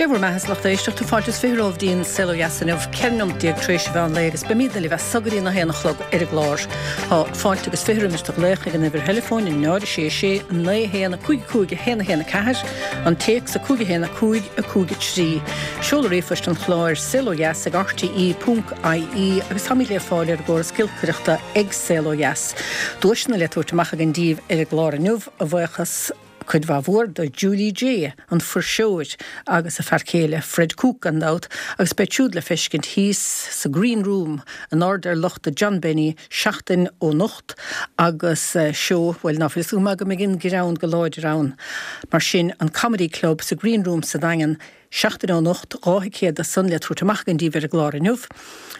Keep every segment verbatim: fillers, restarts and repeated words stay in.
bhur mbeatha a lucht éisteachta fáilte is fiche romhaibh dtí'n Saol Ó Dheas inniu, ceithre nóiméad déag tar éis an mheán lae agus beimidne libh as so go dtí a haon a chlog ar an gclár. Tá fáilte agus fiche roimis do ghlaoch ag an uimhir theileafóin náid a sé sé naoi a haon a cúig a cúig a haon a haon a ceathair, an téacs a cúig a haon a cúig a cúig a trí. Seoladh ríomhphoist an chláir saol ó dheas ag rte ponc ie agus táimid le fáil ar an gcóras giolcaireachta ag Saol Ó Dheas. Duaiseanna le tabhairt amach againn daoibh ar an gclár inniu, a bhuíochas cuid mhaith mhór do Julie Jay, an fuirseoir, agus a fear céile Fred Cooke gan dabht, agus beidh siúd le feiscint thíos sa Green Room in airde ar lochta John Benny seachtain ó anocht agus seó, bhuel ná fuil fhios agam go mbeidh an greann go láidir ann. Mar sin, an Comedy Club sa Green Room sa Daingean, seachtain ó anocht, dhá thicéad san le tabhairt amach againn daoibh ar an gclár inniu.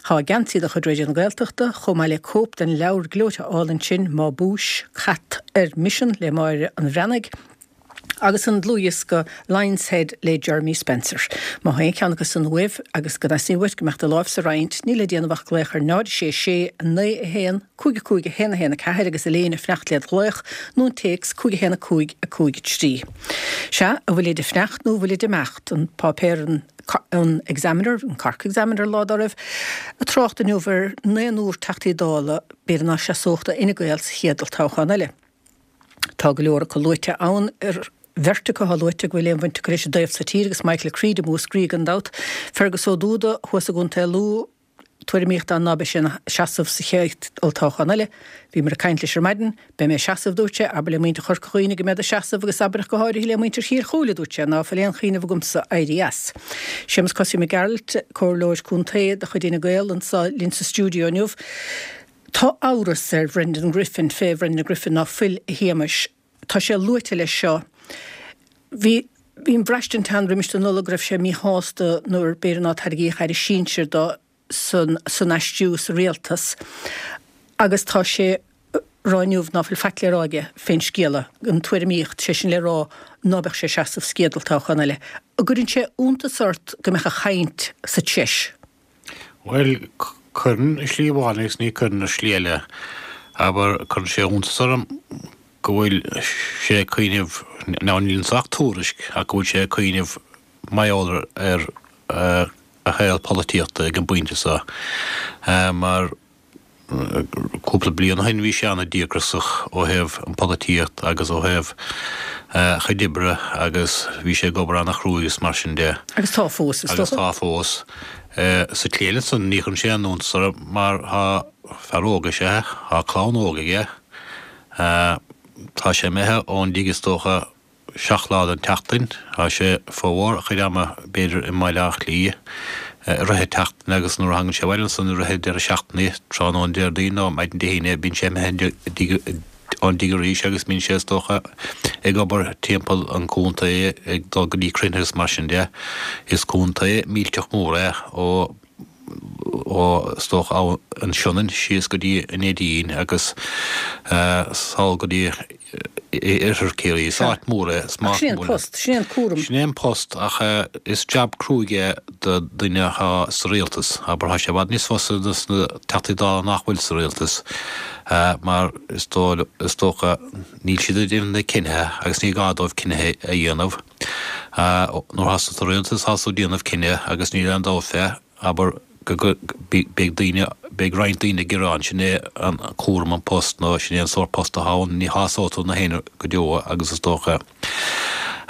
Tá geansaí de chuid Raidió na Gaeltachta, chomh maith le cóip den leabhar gleoite álainn sin, Má Búis, Cat ar Misean le Máire an Bhreathnaigh, agus an dlúthdhiosca Lion's Head le Jeremy Spencer. Má tá aon cheann acu san uaibh agus go dteastaíonn uait go mbeadh do láimh sa roinnt, níl le déanamh ach glaoch ar náid sé sé naoi a haon cúig a cúig a haon a haon a ceathair agus Elaine ag fanacht led ghlaoch nó an téacs cúig a haon a cúig a cúig a trí. Sea, an bhfuilid ag fanacht nó an bhfuilid ag imeacht? An páipéar an an Examiner, an Cork Examiner lá dá raibh, ag trácht inniu ar naonúr Teachtaí Dála, b'fhéidir ná seasódh do Fhine Gael sa chéad olltoghchán eile. Tá go leor acu luaite ann, ar bheirt acu atá luaite go bhfuil aon bhaint acu leis an dtaobh sa tír agus Michael Creed i Múscraí gan dabht, Fergus Ó Dúda thuas i gContae Lú, tuairimíocht ann ná beidh sé ina seasamh sa chéad olltoghchán eile. Bhíomar ag caint leis ar maidin. Beidh mé ag seasamh, dúirt sé, abair le muintir Chorca Dhuibhne go mbead ag seasamh agus abair ach go háirithe le muintir Chill Chúile, dúirt sé, ná fuil aon chuimhneamh agamsa éirí as. Séamus Cosaí Mac Gearailt, Comhairleoir Contae de chuid Fhine Gael anseo linn sa stiúideo inniu. Tá amhras ar Bhrendan Griffin, fé Bhrendan Griffin ná fuil, a Shéamais. Tá sé luaite leis seo. Bhí bhí an bhraistint ann roimis an Nollaig go raibh sé míshásta nuair b'fhéidir ná tairgíodh aire sinsir dó san san aistriú sa rialtas agus tá sé rá inniu ná fuil faic le rá aige fén scéala, an tuairimíocht, sé sin le rá ná beadh sé ag seasamh sa chéad olltoghchán eile. An gcuireann sé iontas ort go mbeadh a chaint sa treis? Bhuel, cuireann i slí amháin agus ní cuireann i slí eile. Abair, cuireann sé iontas orm go bhfuil sé ag cuimhneamh, now níl anso ach tuairisc, ach go bhfuil sé ag cuimhneamh mar gheall ar a shaol polaitíochta ag an bpointe seo, mar cúpla bliain ó shin bhí sé an-díograiseach ó thaobh an polaitíocht agus ó thaobh a chuid oibre agus bhí sé ag obair an-chruaidh agus mar sin de. Agus tá fós, is dócha. Agus tá fós. Sa tslí eile ansan ní chuireann sé aon iontas orm mar tá fear óg is ea é, tá clann óg aige, tá sé imithe ón dtigh is dócha seacht lá den tseachtain. Tá sé formhór a chuid ama, b'fhéidir, i mBaile Átha Cliath i rith na seachtaine agus nuair a thagann sé abhaile ansan i rith an deireadh seachtaine, tráthnóna Déardaoin nó maidin Dé hAoine, bíonn sé imithe ón dtigh arís agus bíonn sé, is dócha, ag obair timpeall an chontae, ag dul go dtí cruinnithe agus mar sin de. Is contae millteach mór é ó ó is dócha an Sionainn síos go dtí an Neidín agus sall go dtí oirthear Chiarraí. Is áit mhór é. Ach sin é an post, sin é an cúram. Sin é an post ach is jab cruaidh é do dhuine atá sa rialtas. Abair, tá sé i bhfad níos fusa dos na Teachtaí Dála nach bhfuil sa rialtas mar is dócha níl siad ag déanamh na cinnithe agus ní gá dóibh cinnithe a dhéanamh. Nuair atá tú sa rialtas tá tú ag déanamh cinneadh agus níl aon dabht fé. Abair go beidh daoine, beidh roinnt daoine ag gearán, sin é an cúram an post nó sin é an sórt post atá ann, ní shásóidh tú na héinne go deo agus is dócha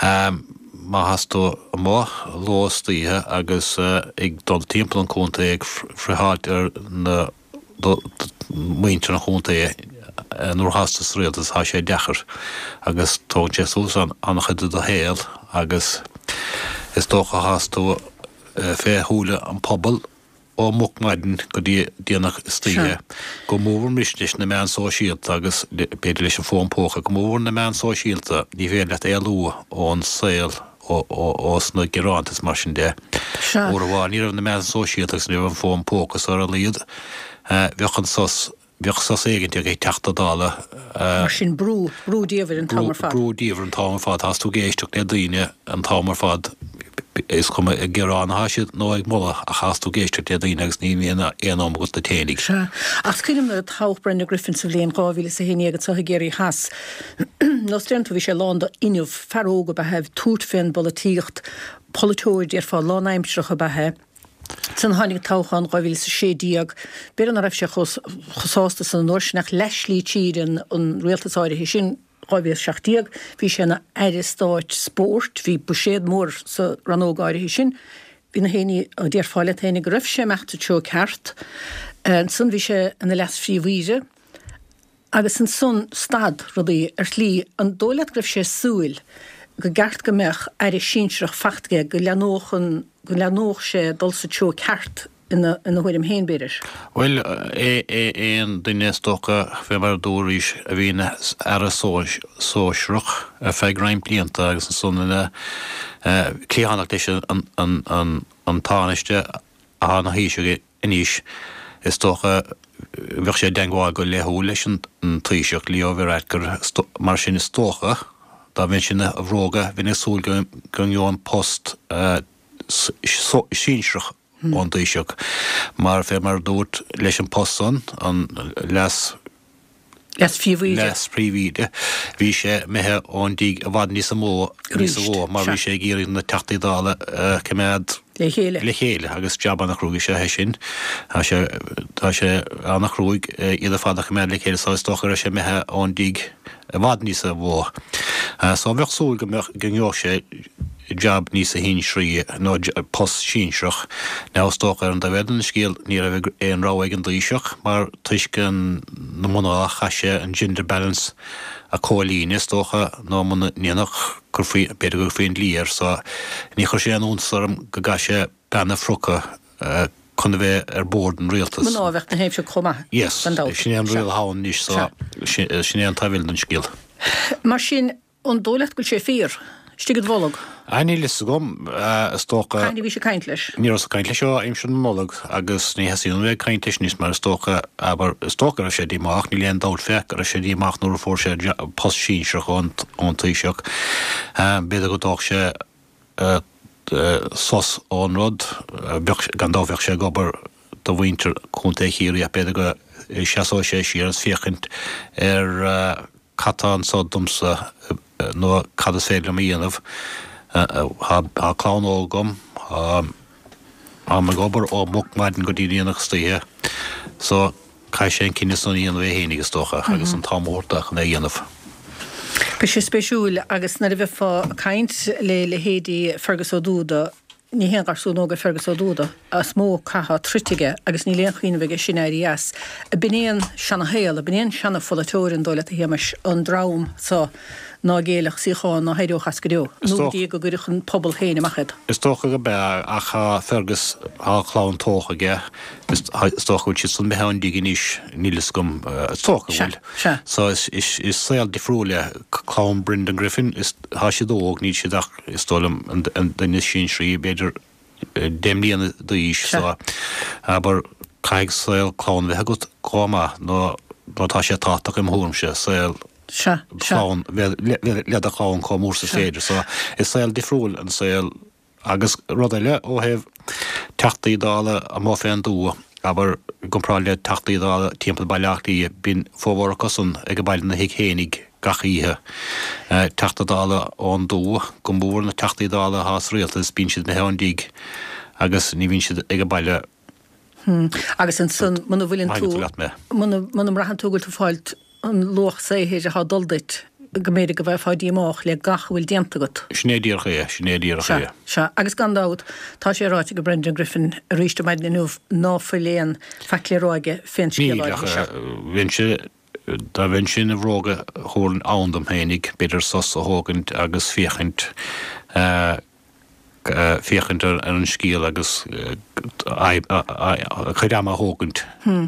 má thás tú amuigh ló is oíche agus ag dul timpeall an chontae ag friotháilt ar na muintir an chontae nuair athás tú sa rialtas tá sé deacair agus tógann sé suas an-chuid de do shaol agus is dócha thás tú fé shúile an phobail ó moch maidin go dtí déanach istoíche, go mór mhór anois leis na meáin sóisialta agus b'fhéidir leis an bhfón póca, go mór mhór na meáin sóisialta, ní féidir leat éalú ón saol ós na gearáin is mar sin de. Uair amháin ní raibh na meáin sóisialta agus ní raibh an fón póca is ar a laghad bheadh an sos Bheadh sos éigint ag Teachta Dála. Mar sin, brú, brú diamhair an t-am ar fad. Brú diamhair an t-am ar fad. Tás tú ag éisteacht le daoine an t-am ar fad. Is cuma ag gearán atá siad nó ag moladh ach caithfidh tú éisteacht le daoine agus ní bhíonn aon am agat duit fhéinig. Sea. Ach cuimhním nuair a toghadh Brendan Griffin sa bhliain dhá mhíle is a haon déag anseo i gCiarraí Theas. Nós deireann tú, bhí sé lán d'fhuinneamh, fear óg ab ea é, ag tabhairt fén bpolaitíocht, polaiteoir déarfá lánaimsearach ab ea é. Ansan tháinig toghchán dhá mhíle is a sé déag, b'fhéidir ná raibh sé chomh sásta san an uair sin ach leathshlí tríd an rialtas áirithe sin, dhá mhíle is a seacht déag, bhí sé ina Aire Stáit Spóirt, bhí buiséad mór sa rannóg áirithe sin, bhí na héinne, déarfá leat féinig go raibh sé ag imeacht sa treo ceart. Ansan bhí sé ina Leas-Phríomh-Aoire agus ansan stad rudaí ar shlí. An dóigh leat go raibh sé ag súil go gceart go mbeadh Aire sinsearach fachta aige, go leathnódh an, go leathnódh sé dul sa treo ceart ina thuairim féin, b'fhéidir? Bhuel, aon duine is dócha, fé mar a dúraís, a bhí ina aire sóisearach ar feadh roinnt blianta agus ansan ina cliathánach leis an Tánaiste atá ina Thaoiseach anois, is dócha, bheadh sé i dteangmháil go laethúil leis an Taoiseach, Leo Varadkar, mar sin is dócha, dá mbeinnse ina bhróga, bheinn ag súil go ngeobhainn post sinsearach ón dTaoiseach, mar fé mar a dúirt, leis an post san, an leas Leas-Phríomh-Aoire. Leas-Phríomh-Aoire, bhí sé imithe ón dtigh i bhfad níosa mó, níosa mhó, mar bhí sé ag iarraidh na Teachtaí Dála a choimeád Le chéile. le chéile, agus jab ana-chruaidh is ea é sin. Tá sé, tá sé ana-chruaidh iad ar fad a choimeád le chéile, so is dócha go raibh sé imithe ón dtigh i bhfad níosa mhó. So bheadh súil go mbeadh, go ngeobhadh sé jab níosa shinsearaí nó post sinsearach. Now is dócha ar an dtaobh eile den scéal ní raibh aon rogha ag an dTaoiseach mar toisc an na mná chaith sé an gender balance a comhlíonadh is dócha nó muna ndéanfadh cuirfí b'fhéidir go gcuirfí an dlí air so ní chuir sé aon iontas orm go gcaith sé bean a phriocadh chun a bheith ar bord an rialtais. Mná a bheadh ina thaobh seo chomh maith, Yes, gan dabht. sin é an riail atá ann anois so sin é an taobh eile den scéal. Mar sin, An dóigh leat go bhfuil sé fíor? Istigh id bholg? Ah, níl fhios agam. Is dócha. Cathain a bhís ag caint leis? Ní rabhas ag caint leis ó aimsir na Nollag agus ní theastaíonn uaim a bheith ag caint leis anois mar is dócha, abair, is dócha go raibh sé díomách, níl aon dabht fé go raibh sé díomách nuair a fuair sé post sinsearach ón Taoiseach. B'fhéidir go dtógfadh sé sos ón rud, bheadh, gan dabht bheadh sé ag obair do mhuintir Chontae Chiarraí ach b'fhéidir go seasóidh sé siar agus féachaint ar cad tá anso domsa nó cad is féidir liom a dhéanamh. Tá clann óg agam, táim ag obair ó moch maidin go dtí déanach istoíche so caithfidh sé an cinneadh san a dhéanamh é fhéinig is dócha agus an t-am a thabhairt dó chun é a dhéanamh. Beidh sé spéisiúil agus nuair a bheifeá ag caint le leithéidí Fergus Ó Dúda, Ní haon gharsún óg é Fergus Ó Dúda, is mó cath atá troidte aige agus níl aon chuimhneamh aige sin éirí as. Ab in é an seana-shaol, ab in é an seana-pholaiteoir, an dóigh leat, a Shéamais, an dream so ná géillfeadh suíochán ná héireodh as go deo, nó go dtí go gcuirfeadh an pobal féin amach iad? Is dócha go b'ea, ach tá Fergus, tá clann tógtha aige, is dócha go bhfuil siad san imithe ón dtigh anois, níl fhios agam, is dócha go bhfuil. Sea, sea. So is saol difriúil é clann Brendan Griffin, is tá siad óg, níl siad ach, is dóigh liom, an duine is sinsearaí, b'fhéidir deich mbliana d'aois, so abair, caithfidh saol clann a bheith agat chomh maith, nó nó tá sé tábhachtach im thuairimse, saol clann, bheith le do chlann chomh mór is is féidir, so is saol difriúil an saol Agus rud eile, ó thaobh Teachtaí Dála amuigh fén dtuath, abair, i gcomparáid le Teachtaí Dála timpeall Baile Átha Cliath, bíonn formhór acusan ag baile ina thigh fhéinig gach oíche. Teachta Dála ón dtuath, go mór na Teachtaí Dála atá sa Rialtas, bíonn siad imithe ón dtigh agus ní bhíonn siad ag baile. Agus ansan, muna bhfuileann tú, muna mbraitheann tú go bhfuil tú ag fáilt an luach saothair atá ag dul duit, go mb'fhéidir go mbeifeá díomách le gach a bhfuil déanta agat. Sin é díreach é, sin é díreach Sea, é. sea. Agus gan dabht, tá sé ráite ag Brendan Griffin arís ar maidin inniu ná fuil aon faic le rá aige fén scéal Níl, áirithe ach seo. bheinnse, dá mbeinnse ina bhróga, thabharfainn am dom féinig, b'fhéidir sos a thógaint agus féachaint, féachaint ar an scéal agus a chuid ama a thógaint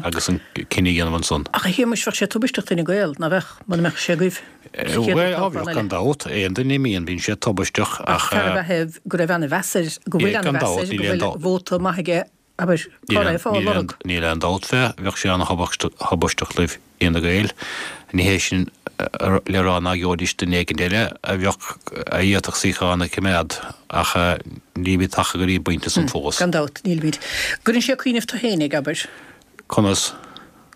agus an cinneadh a dhéanamh ansan. Ach a Shéamais, bheadh sé tubaisteach d'Fhine Gael, ná bheadh, muna mbeadh sé agaibh sa chéad Bhuel, toghchán bheadh eile? gan dabht, aon duine a imíonn, bíonn sé tubaisteach Ach ach. fear ab ea é go raibh ana-mheas air, go bhfuil Gan ana-mheas dabht, air, go níl aon bhfuil dabht. vóta maith aige abair, cá raibh á lorg? Níl aon dabht fé, bheadh sé an-thubaisteach do Fhine Gael. Ní hé sin le rá nach gheobhaidís duine éigin eile a bheadh, a d'fhéadfadh suíochán a choimeád ach nílimid tagtha go dtí an bpointe san fós. Gan dabht, nílimid. Gcuireann sé ag cuimhneamh tú fhéinig, abair? Conas?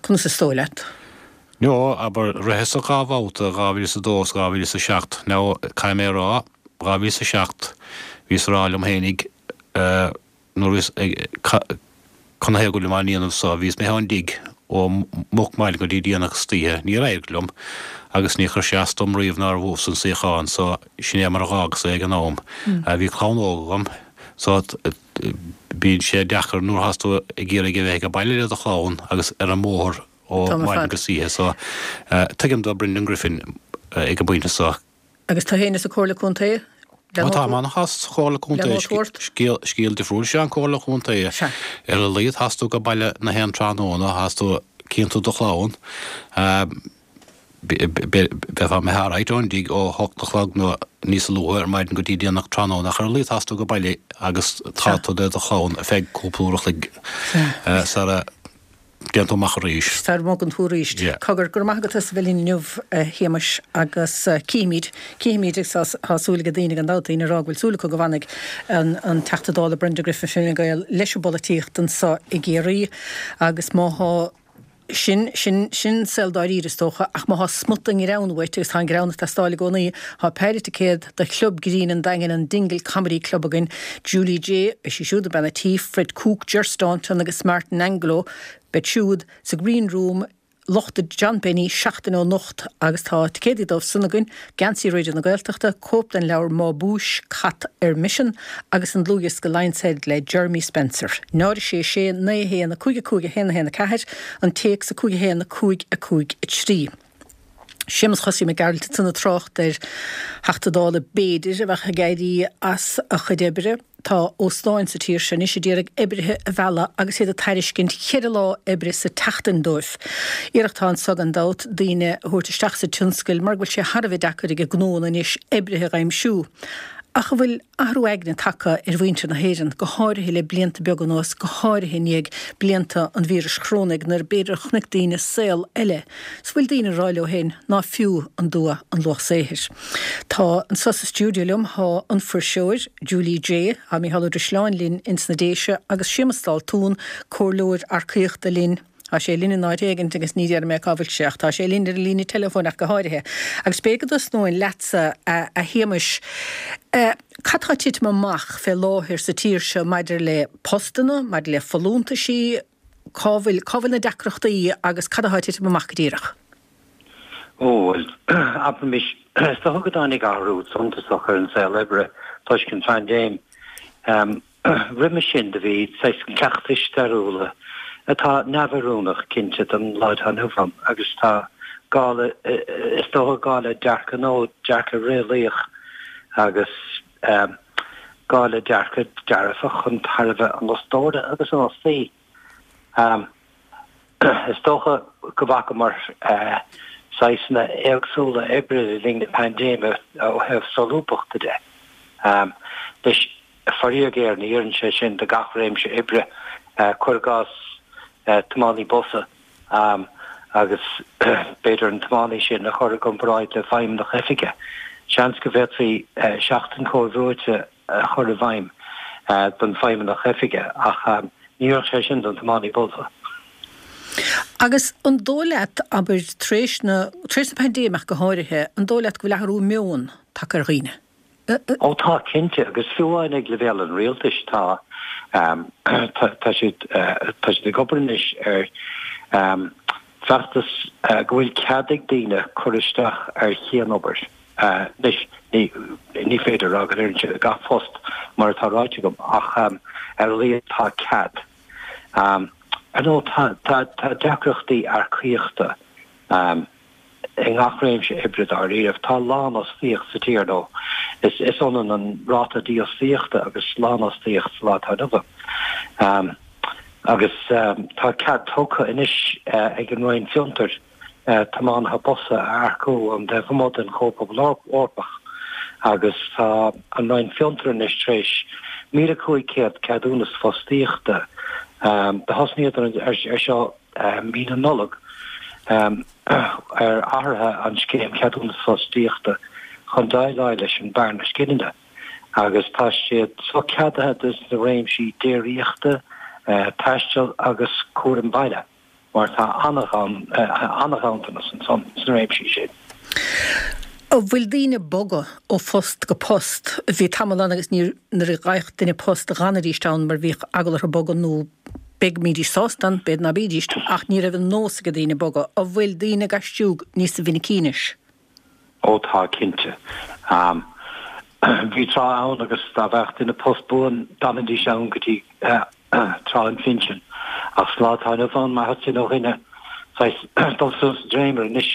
Conas is dóigh leat? No, abair, ritheas-sa dhá bhabhta, dhá mhíle is a dó is dhá mhíle is a seacht. Now, caithfidh mé a rá, dhá mhíle is a seacht, bhíos a rá liom fhéinig, nuair a bhíos ag, canathaobh go bhfuilim á ndéanamh so, bhíos imithe ón dtigh ó moch maidin go dtí déanach istoíche, níor éirigh liom agus níor chuir sé as dom riamh nár bhuas an suíochán so sin é mar a dh'fhágas é ag an am. Bhí clann óg agam so bíonn sé deacair nuair athás tú ag iarraidh a bheith ag baile le do chlann agus ar an mbóthar ó mhaidin go hoíche so tuigim do Brendan Griffin ag an bpointe so. Agus tú féin sa Chomhairle Contae? Ó tá mé ana-shásta sa Chomhairle Contae. Scéal, scéal difriúil is ea an Chomhairle Contae. Ar a laghad thás tú ag baile na haon tráthnóna, thás tú, cíonn tú do chlann. Bheifeá imithe alright ón dtigh ó hocht a chlog nó níos luaithe ar maidin go dtí déanach tráthnóna ach ar a laghad thás tú ag baile agus tá tú le do chlann ar feadh cúpla uair a chloig sara dtéann tú amach arís. Sara mbogann tú arís. Cogar, go raibh maith agat as a bheith linn inniu, a Shéamais, agus cífimid, cífimid agus tá, tá súil ag daoine gan dabht, daoine ag rá go bhfuil súil acu go bhfanfaidh an, an Teachta Dála Brenda Griffin Fine Gael leis an bpolaitíocht anseo i gCiarraí agus má thá Sin, sin, sin saol dáiríre is dócha, ach má thá smut den ghreann uait, agus tá an greann ag teastáil i gcónaí, thá péire ticéad do Chlub Grinn an Daingin, an Dingle Comedy Club againn, Julie Jay, beidh sí siúd, bean a' tí, Fred Cooke, Ger Staunton agus Martin Angolo, beid siúd sa Green Room, Lochta John Benny, seachtain ó anocht agus tá ticéadaí dóibh san againn, geansaí Raidió na Gaeltachta, cóip den leabhar Má Búis, Cat ar Misean agus an dlúthdhiosca Lion's Head le Jeremy Spencer. Náid a sé sé naoi a haon a cúig a cúig a haon a haon a ceathair, an téacs a cúig a haon a cúig a cúig a trí. Séamus Chosaí Mac Gearailt ansan ag trácht ar Theachta Dála b'fhéidir a bheadh ag éirí as a chuid oibre. Tá óstáin sa tír seo anois a d'iarraidh oibrithe a mhealladh agus iad ag tairiscint cheithre lá oibre sa tseachtain dóibh. Iarracht atá anso gan dabht daoine a thabhairt isteach sa tionscal mar go bhfuil sé thar a bheith deacair ag gnóanna anois oibrithe a aimsiú. Ach an bhfuil athrú aigne tagtha ar mhuintir na hÉireann, go háirithe le blianta beaga anuas, go háirithe i ndiaidh blianta an víris chorónaigh nuair b'fhéidir a chonaic daoine saol eile? 'S bhfuil daoine ag rá leo féin ná fiú an dua an luach saothair? Tá anso sa stiúideo liom thá an fuirseoir, Julie Jay, thá Mícheál Ó Drisleáin linn ins na Déise agus Séamus Daltún, comhairleoir earcaíochta linn. Tá sé linn in áit éigint agus ní déarfaidh mé cá bhfuil sé ach tá sé linn ar an líne teileafóin ach go háirithe. Agus b'fhéidir go dtosnóinn leatsa, a Shéamais. Cad tá ag titim amach fé láthair sa tír seo maidir le postanna, maidir le folúntaisí, cá bhfuil, cá bhfuil na deacrachtaí agus cad atá ag titim amach go díreach? Ó, bhuel, abraimis, is dócha go dtáinig athrú suntasach ar an saol oibre toisc an phaindéim. Roimhe sin do bhí saghas cleachtais stairiúla atá neamhoiriúnach, cinnte, don lá atá inniu ann agus tá gá le, is dócha, gá le dearcadh nó dearcadh réalaíoch agus gá le dearcadh dearfach chun tairbhe an fhostóra agus an fhostaí. Is dócha go bhfacamar saghsanna éagsúla oibre le linn na paindéime ó thaobh solúbthachta de. Anois, faraor géar, ní oireann sé sin do gach réimse oibre, cuir i gcás tiománaí busa agus b'fhéidir an tiománaí sin a chur i gcomparáid le feidhmeannach oifige. Seans go bhféadfaí seachtain chomhbhrúite a chur i bhfeidhm don feidhmeannach oifige ach ní oirfeadh sé sin don tiománaí busa. Agus an dóigh leat, abair, tar éis na, tar éis na paindéime ach go háirithe, an dóigh leat go bhfuil athrú meoin tagtha ar dhaoine? Ó tá, cinnte, agus fiú amháin ag leibhéal an rialtais tá, tá siad, tá siad ag obair anois ar feachtas go bhfuil cead ag daoine cur isteach ar chianobair. Anois, ní, ní féidir a rá go n-oireann sé do gach post, mar atá ráite agam, ach ar a laghad tá cead. Ar ndóigh, tá, tá, tá deacrachtaí earcaíochta. I ngach réimse oibre dáiríribh, tá lánfhostaíocht sa tír, nó is ionann an ráta dífhostaíochta agus lánfhostaíocht sa lá atá inniu ann. Agus tá cead tugtha anois ag an Roinn Fiontair tiománaithe busa a earcú ón dtaobh amuigh den Chomhphobal Eorpach agus tá an Roinn Fiontair anois tar éis míle cúig chéad ceadúnas fostaíochta Do thosnaíodar ar seo mí na Nollag ar athruithe an scéim ceadúnas fostaíochta chun déileáil leis an bearna scileanna agus tá siad so ceadaithe dos na réimsí déiríochta, taistil agus cúram baile mar tá an-ghanntanas ansan sna réimsí sin. An bhfuil daoine ag bogadh ó phost go post? Bhí tamall ann agus ní nuair a gheibheadh duine post d'fhanaidís ann mar bhíodh eagla orthu bogadh nó b'fhéidir go mbídís sásta ann, b'fhéidir ná bídís, ach ní raibh an nós ag daoine bogadh. An bhfuil daoine ag aistriú níos minicí anois? Ó tá, cinnte. Bhí tráth ann agus dá bhfaigheadh duine post buan d'fhanaidís ann go dtí tráth an phinsin. Ach sa lá atá inniu ann, má theastaíonn ó dhuine saghas dul suas an dréimire anois,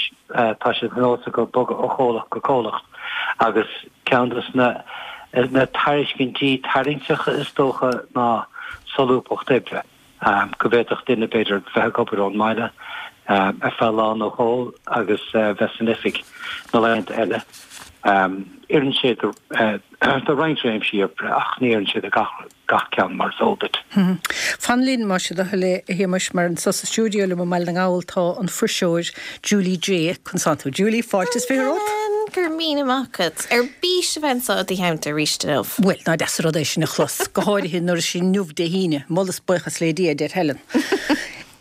tá sé de nós acu bogadh ó chomhlacht go comhlacht agus ceann de na na tairiscintí tarraingteacha is dócha ná solúbthacht oibre, go bhféadfadh duine b'fhéidir bheith ag obair ón mbaile ar feadh lá nó dhó agus bheith san oifig na laethanta eile. Oireann sé do roinnt réimsí oibre ach ní oireann sé do gach gach ceann mar is eol duit. Fan linn más é do thoil é, a Shéamais, mar anso sa stiúideo liom i mBaile na nGall tá an fuirseoir Julie Jay. Conas tánn tú Julie, fáilte is fiche romhat. Go raibh míle maith agat. Ar bís a bheith anso i do theannta arís inniu. Bhuel, nach deas an rud é sin a chlos, go háirithe nuair is inniu Dé hAoine, moladh is buíochas le Dia, a deir Helen.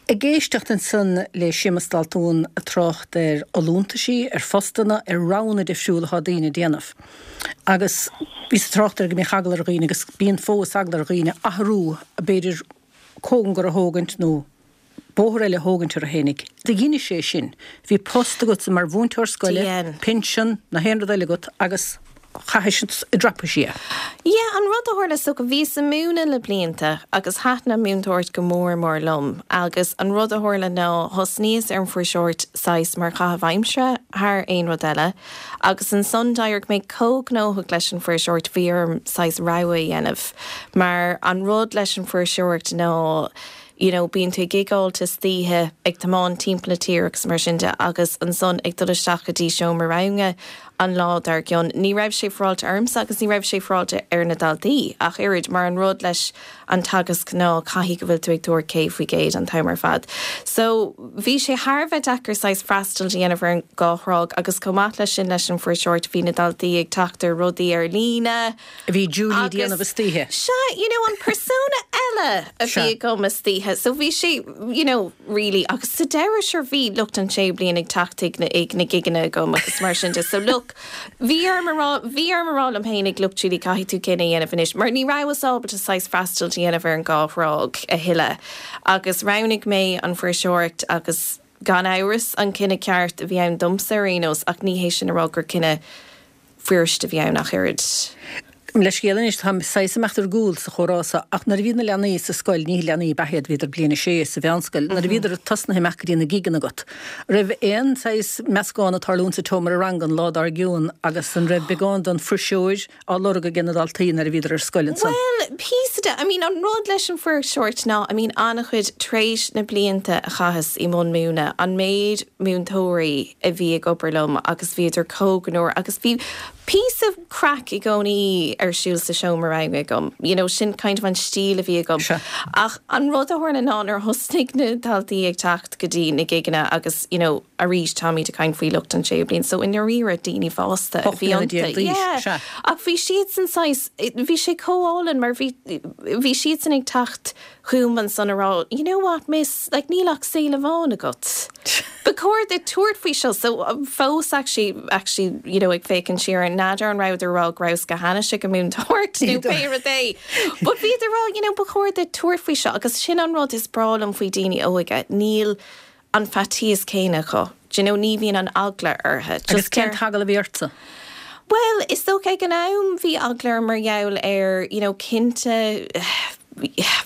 Ag éisteacht ansan le Séamus Daltún ag trácht ar fholúntaisí, ar phostanna, ar roghanna difriúla atá daoine ag déanamh. Agus bhíos ag trácht air go mbíodh eagla ar dhaoine agus bíonn fós eagla ar dhaoine athrú, b'fhéidir cóngar a thógaint nó bóthar eile a thógaint orthu fhéinig. Do dheinis é sin. Bhí post agatsa mar mhúinteoir scoile, pinsean, na haon rud eile agat agus. Chaithis i dtraipisí é. Yeah, an rud a tharla, so bhíos ag múineadh le blianta agus thaitin an múinteoireacht go mór mór liom agus an rud a tharla ná thosnaíos ar an fuirseoireacht saghas mar chaitheamh aimsire thar aon rud eile agus ansan d'éirigh mé chomh gnóthach leis an fuirseoireacht bhí orm saghas rogha a dhéanamh mar an rud leis an fuirseoireacht ná you know bíonn tú ag gigeáilt istoíche ag tiomáint timpeall na tíre agus mar sin de agus ansan ag dul isteach go dtí seomra ranga an lá dár gcionn. Ní raibh sé féaráilte ormsa agus ní raibh sé féaráilte ar na daltaí ach oiread mar an rud leis an teagasc ná caithfidh go bhfuil tú ag tabhairt céad faoi gcéad an t-am ar fad. So bhí sé thar a bheith deacair saghas freastal a dhéanamh ar an dhá thráigh agus chomh maith leis sin leis an fuirseoireacht bhí na daltaí ag teacht ar rudaí ar líne. A bhí Julie ag déanamh istoíche. Sea, you know, an persona eile a bhí agam istoíche. So bhí sé, you know, really, agus sa deireadh sure bhí lucht an séú bliain ag teacht ag na, ag na gigeanna agam agus mar sin de. So look, bhí orm a rá, bhí orm a rá liom fhéinig, look Julie, caithfidh tú cinneadh a dhéanamh anois, mar ní rabhas ábalta saghas freastal a dhéanamh ar an dhá thráigh a thuilleadh. Agus roghnaigh mé an fuirseoireacht agus gan amhras an cinneadh ceart a bhí ann domsa ar aon nós ach ní hé sin a rá gur cinneadh fuirist a bhí ann ach oiread. Leithscéal anois, táim saghas ag imeacht ar gcúl sa chomhrá seo, ach nuair a bhí na leanaí sa scoil, ní leanaí ab ea iad, bhíodar bliain a sé sa mheánscoil, nuair a bhíodar tosnaithe imeacht go dtí na gigeanna agat, raibh aon saghas meascán ag tarlúint sa tseomra ranga an lá dár gcionn agus an raibh beagán den fuirseoir á lorg ag na daltaí nuair a bhíodar ar scoil ansan? Bhuel, píosa de, I mean, an rud leis an fuirseoireacht ná, I mean, an-chuid, tar éis na blianta a chaitheas i mbun múineadh, an méid múinteoirí a bhí ag obair liom agus bhíodar chomh gnóthach agus bhí píosa craic i gcónaí ar siúl sa seomra ranga agam, you know, sin kind of an stíl a bhí agam. Sea. Ach an rud a tharla ná nuair a thosnaigh na daltaí ag teacht go dtí na gigeanna agus, you know, arís táimid ag caint faoi lucht an séú bliain, so i ndáiríre daoine fásta a Ocht bhí mbliana iontu. déag d'aois, Yeah. sea. Ach bhí siadsan saghas, bhí sé chomh álainn mar bhí, bhí siadsan ag teacht chugam ansan a rá, you know what miss, like níl ach saol amháin agat. Ba chóir duit tabhairt faoi seo, so fós actually, actually, you know, ag féachaint siar ar n'fheadar an rabhadar ag rá go rabhas go hainnis ag an múinteoireacht nó pé rud é. But bhíodar ag rá, you know, ba chóir duit tabhairt faoi seo agus sin an rud is breá liom faoi daoine óga, níl an faitíos céanna acu. Do you know, ní bhíonn an eagla orthu. Agus Just cén deir- t-eagla a bhí ortsa? Well, is dócha ag an am bhí eagla orm mar gheall ar, you know, cinnte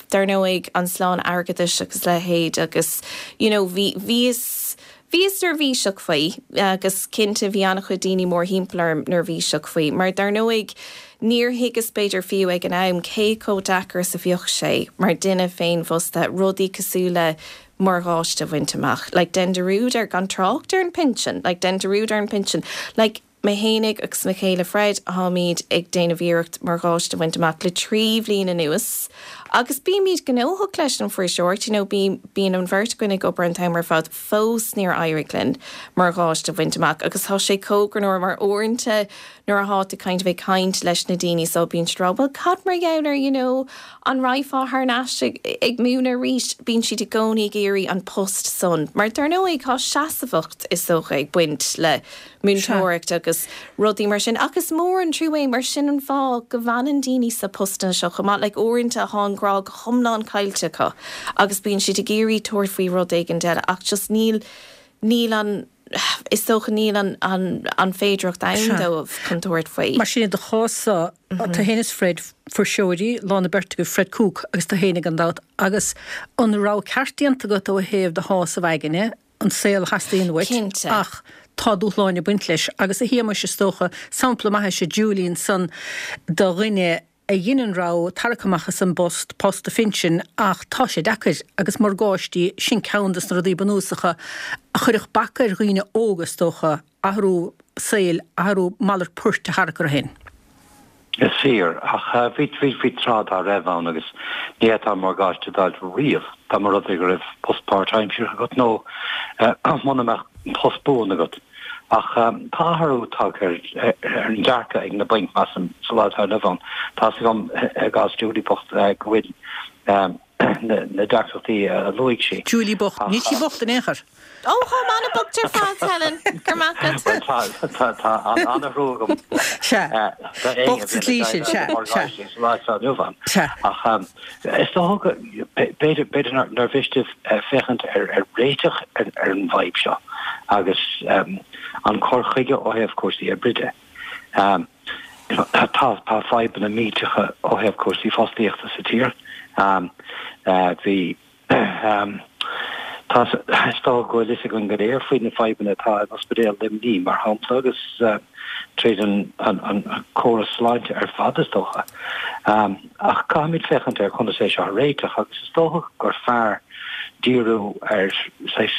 dar ndóigh an slán airgeadais agus leithéid agus, you know, bhí bhíos bhíos neirbhíseach faoi agus cinnte bhí an-chuid daoine mórthimpeall orm neirbhíseach faoi, mar dar ndóigh níor thuigeas b'fhéidir fiú ag an am cé chomh deacair is a bheadh sé mar duine féinfhostaithe rudaí cosúil le morgáiste a bhaint amach. Like dein dearúd ar gan trácht ar an pinsean, like dein dearúd ar an pinsean. Like mé fhéinig agus mo chéile Fred táimid ag déanamh iarracht morgáiste a bhaint amach le trí bhliain anuas Agus bímid gnóthach leis an fuirseoireacht, you know, bí, bíonn an bheirt againn ag obair an t-am ar fad fós níor éirigh linn morgáiste a bhaint amach agus tá sé chomh greannmhar mar uaireanta nuair atá tú kind of ag caint leis na daoine so bíonn siad ag rá, well cad mar gheall ar you know, an rachfá thar n-ais ag, ag múineadh arís bíonn siad i gcónaí ag iarraidh an post san. Mar dar ndóigh tá seasamhacht is dócha ag baint le múinteoireacht agus rudaí mar sin agus mór an trua mar sin an fáth go bhfanann daoine sa postanna seo chomh maith like uaireanta tá an grá go hiomlán caillte acu agus bíonn siad ag iarraidh tabhairt faoi rud éigin eile ach just níl níl an is dócha níl an, an, an féidireacht ann dóibh chun tabhairt faoi. Mar sin do chás-sa tú féin is Fred fuirseoirí lán na beirt go Fred Cooke agus tú féin gan dabht agus an rogha ceart déanta agat ó thaobh do shásamh aigne an saol a theastaíonn uait Cinnte. ach tá dúshláin ag baint leis agus a Shéamais is dócha sampla maith is ea Julie ansan do dhuine a dhein an rogha tarrac amach as an bpost post a phinsin ach tá sé deacair agus morgáistí sin ceann des na rudaí bunúsacha a chuirfeadh bac ar dhaoine óga is dócha athrú saoil athrú malairt poirt a tharrac orthu féin. Is fíor ach bhí bhí bhí tráth dá raibh ann agus ní fhéadfá morgáiste a fháil riamh dá mba rud é go raibh post páirtaimseartha agat nó muna mbeadh post buan agat. Ach tá athrú tagtha ar ar an dearcadh ag na bainc measaim sa lá atá inniu ann. Tá a fhios agam i gcás Julie bocht go bhfuil na deacrachtaí a luaigh sí. Julie bocht, níl sí bocht in aon chor. Ó táim an-bhocht ar fad Helen gur maith Tá tá an-thrua agam. Sea. Bocht sa tslí sin, sea, sea. Sa lá atá inniu ann. Sea. Ach is dócha b'fhéidir b'fhéidir nár mhiste féachaint ar ar réiteach ar ar an bhfadhb seo agus an cur chuige ó thaobh cúrsaí oibre de. Tá tá fadhbanna millteacha ó thaobh cúrsaí fostaíochta sa tír. Bhí tá is dócha go bhfuil fhios againn go léir faoi na fadhbanna atá in Ospidéal Luimnigh mar shampla agus tríd an an córas sláinte ar fad is dócha. Ach caithfimid féachaint ar conas é seo a réiteach agus is dócha gur fearr díriú ar saghas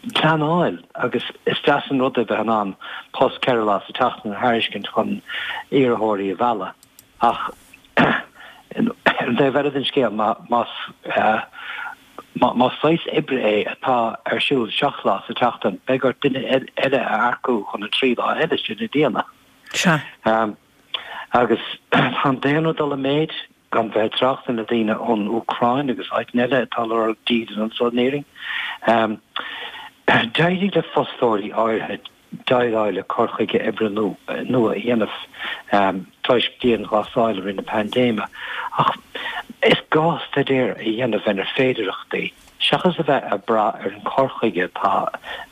pleanáil agus is deas an rud é bheith in ann post ceithre lá sa tseachtain a thairiscint chun iarrthóirí a mhealladh ach ar an taobh eile den scéal más más saghas oibre é atá ar siúl seacht lá sa tseachtain beidh ort duine eile a earcú chun an trí lá eile sin a dhéanamh. Sea. Agus tá an daonra ag dul i méid gan bheith ag trácht ar na daoine ón Úcráin agus áiteanna eile atá ag lorg dídean anseo in Éirinn. D'éirigh le fostóirí áirithe déileáil le cur chuige oibre nua a dhéanamh toisc dianghlasáil i rith na paindéime ach is gá staidéar a dhéanamh ar na féidearthachtaí seachas a bheith ag brath ar an chur chuige atá,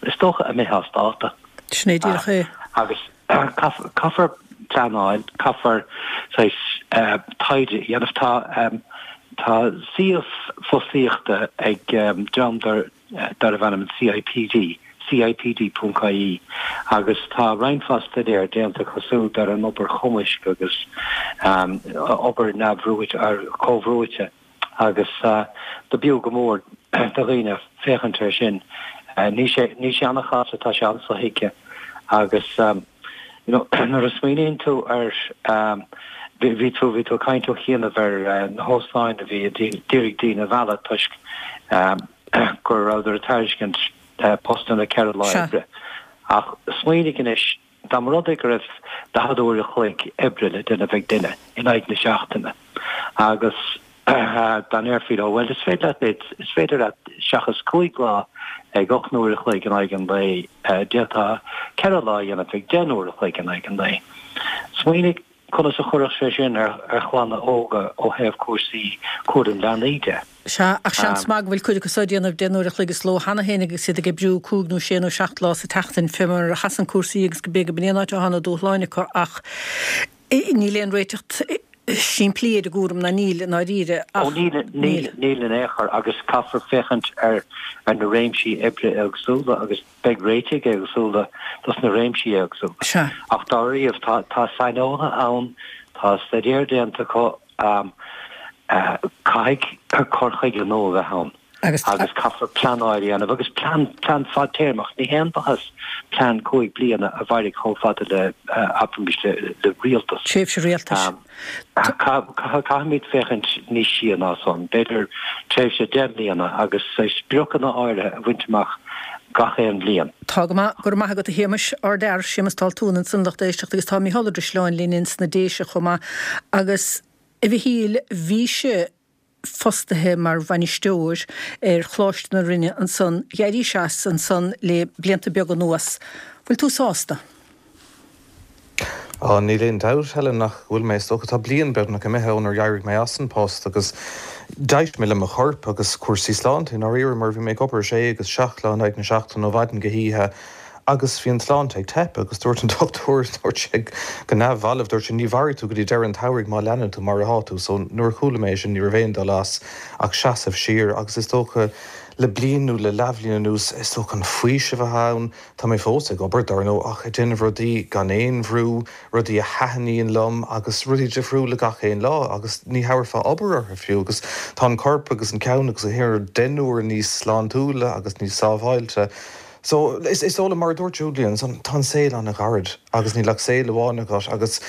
is dócha, imithe as dáta. Sin é díreach é. Agus caithfear pleanáil, caithfear saghas taighde a dhéanamh. Tá tá suíomh fostaíochta ag dream darbh ainm an CIPD, CIPD ponc ie, agus tá roinnt mhaith staidéar déanta acu siúd ar an obair chumaisc agus obair neamhbhrúite, comhbhrúite agus do b'fhiú go mór do dhaoine féachaint air sin. Níl sé, níl sé an-chasta, tá sé an-sothuigthe agus you know nuair a smaoiníonn tú ar bhí tú, bhí tú ag caint ó chianaibh ar na hóstáin a bhí ag iarraidh daoine a mhealladh toisc go rabhadar ag tairiscint postanna ceithre lá oibre. Ach smaoinigh anois, dá mba rud é go raibh daichead uair a chloig oibre le déanamh ag duine in aghaidh na seachtaine agus dá ndéarfaí leo, bhuel, is féidir leat, is féidir leat seachas cúig lá ag ocht n-uair a chloig in aghaidh an lae, d'fhéadfá ceithre lá a dhéanamh ag deich n-uair a chloig in aghaidh an lae. Smaoinigh Conas a chuirfeadh sé sin ar chlanna óga ó thaobh cúrsaí cúram leanaí de? Sea, ach seans maith go bhfuil cuid acu seo ag déanamh deich n-uair a chloig sa ló cheana féin agus iad ag oibriú cúig nó sé nó seacht lá sa tseachtain, fé mar a sheasann cúrsaí agus go b'fhéidir go b'in é an áit atá na dúshláin acu ach níl aon réiteach simplí ar an gcúram ná níl i ndáiríre ach. Ó níl, níl, níl in aon chor agus caithfear féachaint ar na réimsí oibre éagsúla agus Beidh réitigh éagsúla dos na réimsí éagsúla. Sea. Ach dáiríre, tá tá saineolaithe ann, tá staidéar déanta acu, caithfidh cur chuige nua a bheith ann. Agus caithfear pleanáil a dhéanamh agus plean plean fadtéarmach. Ní haon mhaitheas plean cúig bliana a mhairfidh chomh fada le, abraimis, le le rialtas. Tréimhse rialtais. Caithfimid féachaint níos sia ná san, b'fhéidir tréimhse deich mbliana agus spriocanna áirithe a bhaint amach gach aon bhliain. Tá go maith, go raibh maith agat a Shéamais, ardfhear, Séamas Daltún ansan lucht éisteachta agus tá Mícheál Ó Drisleáin linn ins na Déise chomh maith agus a Mhichíl bhís-se fostaithe mar bhainisteoir ar Choláiste na Rinne ansan, d'éirís as ansan le blianta beaga anuas. Bhfuil tú sásta? Á, níl aon dabht, Helen, nach bhfuil mé. Is dócha, tá bliain beagnach imithe ónar d'éirigh mé as an post agus d'éist mé le mo chorp agus cúrsaí sláinte i ndáiríre mar bhí mé ag obair sé agus seacht lá in aghaidh na seachtaine ó mhaidin go hoíche agus bhí an tsláinte ag teip agus dúirt an dochtúir, dúirt sé go neamhbhalbh, dúirt sé ní mhairfidh tú go dtí deireadh an tsamhraidh má leanann tú mar atá tú. So nuair a chuala mé sin ní raibh aon dul as ach seasamh siar agus is dócha le bliain nó le leathbhliain anuas is dócha an faoiseamh atá ann, tá mé fós ag obair dar ndóigh ach ag déanamh rudaí gan aon bhrú, rudaí a thaitníonn liom agus rudaí difriúla gach aon lá agus ní thabharfá obair orthu fiú agus tá an corp agus an ceann agus an rud deich n-uair níos sláintiúla agus níos sábháilte. So, is is dóigh liom, mar a dúirt Julie ansan, tá an saol an-ghairid agus níl ach saol amháin agat agus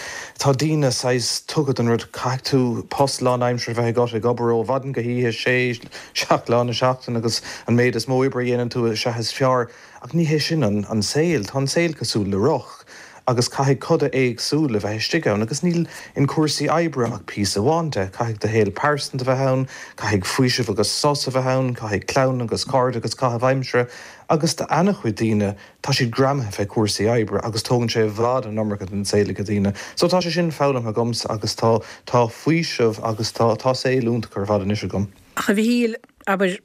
tá daoine saghas tugtha don rud, caithfidh tú post lánaimseartha a bheith agat, ag obair ó mhaidin go hoíche, sé, seacht lá na seachtaine agus an méid is mó oibre a dhéanann tú is ea is fearr. Ach ní hé sin an an saol. Tá an saol cosúil le roth agus caithfidh coda éagsúla bheith istigh ann agus níl in cúrsaí oibre ach píosa amháin de. Caithfidh do shaol pearsanta bheith ann, caithfidh faoiseamh agus sos a bheith ann, caithfidh clann agus cairde agus caitheamh aimsire agus do ana-chuid daoine tá siad greamaithe fé chúrsaí oibre agus tógann sé i bhfad an iomarca den saol ag daoine. So tá sé sin foghlamtha agamsa agus tá tá faoiseamh agus tá tá saol iontach ar fad anois agam. Ach a Mhichíl, abair,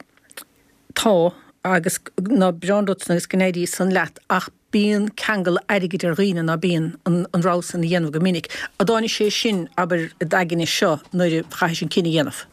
tá agus ná breán duit agus go n-éirí san leat ach bíonn ceangal airgid ar dhaoine ná bíonn an rogha san a dhéanamh go minic. An dtáinig sé sin, abair, i d'aigne seo nuair a chaithis an cinneadh a dhéanamh?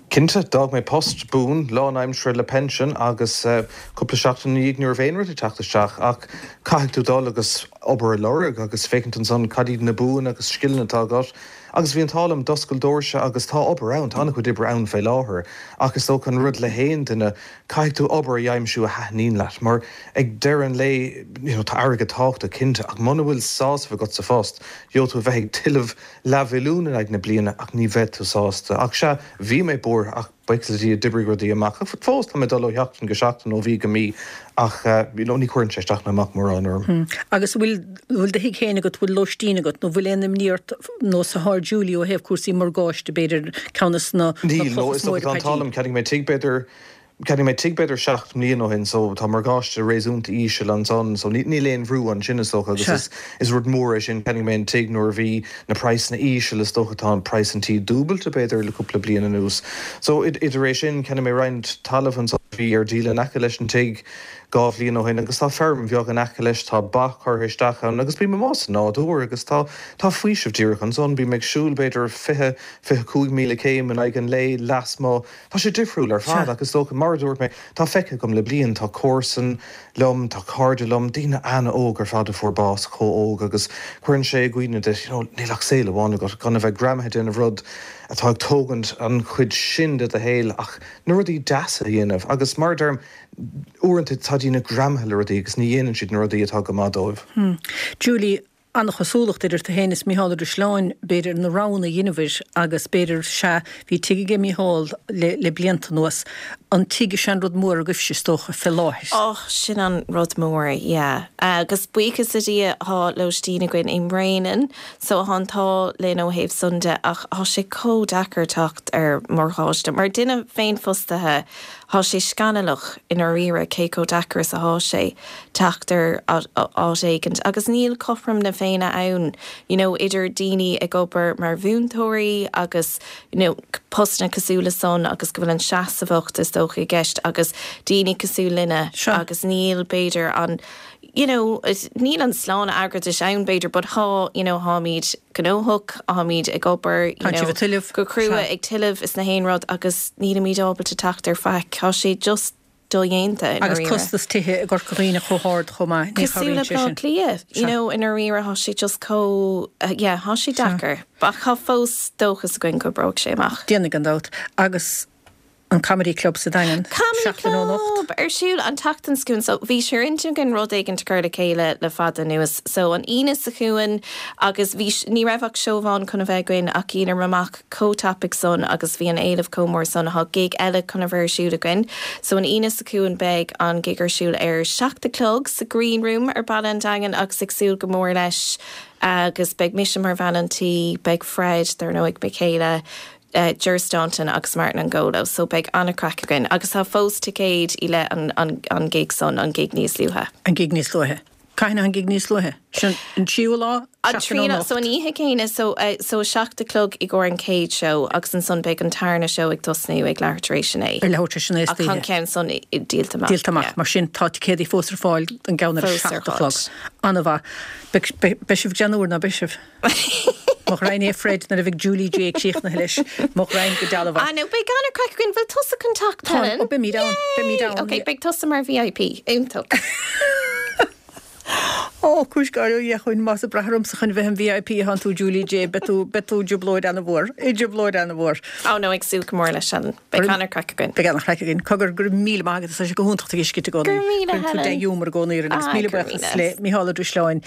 Cinnte, d'fhág mé post buan, lánaimseartha le pension agus cúpla seachtain ina dhiaidh ní raibh aon rud ag teacht isteach ach caithfidh tú dul agus obair a lorg agus féachaint ansan cad iad na buanna agus scileanna atá agat agus bhí an t-ádh liom, d'oscail doirse agus tá obair ann, tá an-chuid oibre ann fé láthair ach is dócha an rud le haon duine, caithfidh tú obair a aimsiú a thaitníonn leat mar ag deireadh an lae, you know, tá airgead tábhachtach cinnte ach muna bhfuil sásamh agat sa phost, gheobhaidh tú a bheith ag tuilleamh leathmhilliún in aghaidh na bliana ach ní bheidh tú sásta. Ach sea, bhí mé buartha ach buíochas le Dia d'oibrigh rudaí amach. Ach fós tá mé ag dul ó sheachtain go seachtain, ó mhí go mí ach you know ní chuireann sé isteach ná amach mórán orm. Agus an bhfuil, bhfuil do thigh féin agat, bhfuil lóistín agat nó bhfuil aon imní ort nós atá ar Julie ó thaobh cúrsaí morgáiste, b'fhéidir, ceann de na Níl, no, clocha is is mó dócha ar tá an t-ádh Paidí. liom, cheannaigh mé tigh b'fhéidir Cheannaigh mé tigh b'fhéidir seacht mbliana ó shin so tá morgáiste réasúnta íseal ansan so níl aon bhrú ansin is dócha agus is is rud mór é sin. Cheannaigh mé an tigh nuair a bhí na praghsanna íseal is dócha tá an praghas an tí dúbailte b'fhéidir le cúpla bliain anuas. So idir é sin cheannaigh mé roinnt talaimh ansan a bhí ar díol in aice leis an tigh dhá bhliain ó shin agus tá feirm bheag in aice leis, tá ba curtha isteach ann agus bím amuigh sa nádúr agus tá tá faoiseamh díreach ansan. Bím ag siúl b'fhéidir fiche, fiche cúig míle céim in aghaidh an lae lasmuigh. Tá sé difriúil ar fad ach is dócha, mar a dúirt mé, tá feicthe agam le bliain, tá comharsan liom, tá cairde liom, daoine an-óg ar fad a fuair bás chomh hóg agus cuireann sé i gcuimhne duit, you know, níl ach saol amháin agat, gan a bheith greamaithe ag déanamh rud atá ag tógaint an chuid sin de do shaol ach na rudaí deasa a dhéanamh agus mar a deirim, uaireanta tá daoine greamaithe le rudaí agus ní dhéanann siad na rudaí atá go maith dóibh. Julie, An-chosúlacht idir tú féin is Mícheál Ó Drisleáin, b'fhéidir, na roghanna a dheineabhair agus b'fhéidir, sea, bhí tigh aige Mícheál le le blianta anuas. An tigh is ea an rud mór agaibhse, is dócha, fé láthair. Och, sin an rud mór, yeah. Agus buíochas le Dia thá lóistín againn i mBréanainn, so thá an t-ádh linn ó thaobh san de ach thá sé chomh deacair teacht ar mhorgáiste. Mar duine féinfhostaithe, Thá sé scannalach i ndáiríre cé chomh deacair is athá sé teacht ar áit éigint agus níl cothrom na Féinne ann you know idir daoine ag obair mar mhúinteoirí agus you know postanna cosúil le san agus go bhfuil an seasmhacht is dócha i gceist agus daoine cosúil linne agus níl b'fhéidir an you know, níl an sláine airgeadais ann b'fhéidir but thá, you know, tháimid gnóthach, tháimid ag obair, you know, go crua ag tuilleamh is na haon rud agus nílimid ábalta teacht ar faic, tá sé just dodhéanta i Agus ndáiríre. costas tithe i gCorca Dhuibhne chomh hard chomh maith, ní Cosúil le chabhraíonn sé Bleá sin. Cliath, you know, i ndáiríre thá sé just chomh, yeah, thá sé deacair. Ach thá fós dóchas againn go oibreoidh sé amach. Déanfaidh gan dabht. Agus An Comedy Club sa Daingean. Comedy Club ar siúl an tseachtain seo chugainn so bhí sé ar intinn againn rud éigin a chur le chéile le fada anuas so an Aoine seo chugainn agus bhí ní raibh ach seó amháin chun a bheith againn ach dhíolamar amach chomh tapaidh san agus bhí an éileamh chomh mór san tá gig eile chun a bheith ar siúl againn so an Aoine seo chugainn beidh an gig ar siúl ar seacht a chlog sa Green Room ar Baile an Daingin agus ag súil go mór leis agus beidh mise mar bhean an tí beidh Fred dar ndóigh mo chéile uh, Ger Staunton agus Martin Angolo, so beidh an-chraic againn agus tá fós ticéid i le an, an, an gig san an gig níos luaithe. An gig níos luaithe. Cathain an gig níos luaithe? Sin an tríú lá? An tríú so an oíche céanna so, uh, so seacht a chlog i gcomhair an chéad show agus ansan beidh an tarna show ag tosnú ag leathuair tar éis a naoi. Ar leathuair tar éis a naoi Ach an ceann san díolta amach. Díolta amach, mar sin tá ticéidí fós ar fáil an gceann ar seacht a chlog. An-mhaith. Beidh sibh déanúr ná beidh sibh. Mo ghraidhin é Fred nuair a bheidh Julie J críochnaithe leis. Mo ghraidhin go dealbh. Ah no, beidh an-chraic againn bhfuil tusa chun teacht Helen? Ó beimid ann, beimid ann. Ok, beidh tusa mar VIP, iontach. Ó cúis gáire ó Dhia chugainn más ag brath ormsa chun bheith im VIP atánn tú Julie J, beidh tú beidh tú i dtrioblóid an-mhór, i dtrioblóid an-mhór. Ó no, ag súil go mór leis sin. Beidh an-chraic againn. Beidh an-chraic againn. Cogar go raibh míle maith agat, tá sé go hiontach tú a fheiscint i gcónaí. Go raibh míle Cuireann tú Helen. dea-ghiúmar i gcónaí orainn agus Ah, míle go raibh buíochas míle. le Mícheál Ó Drisleáin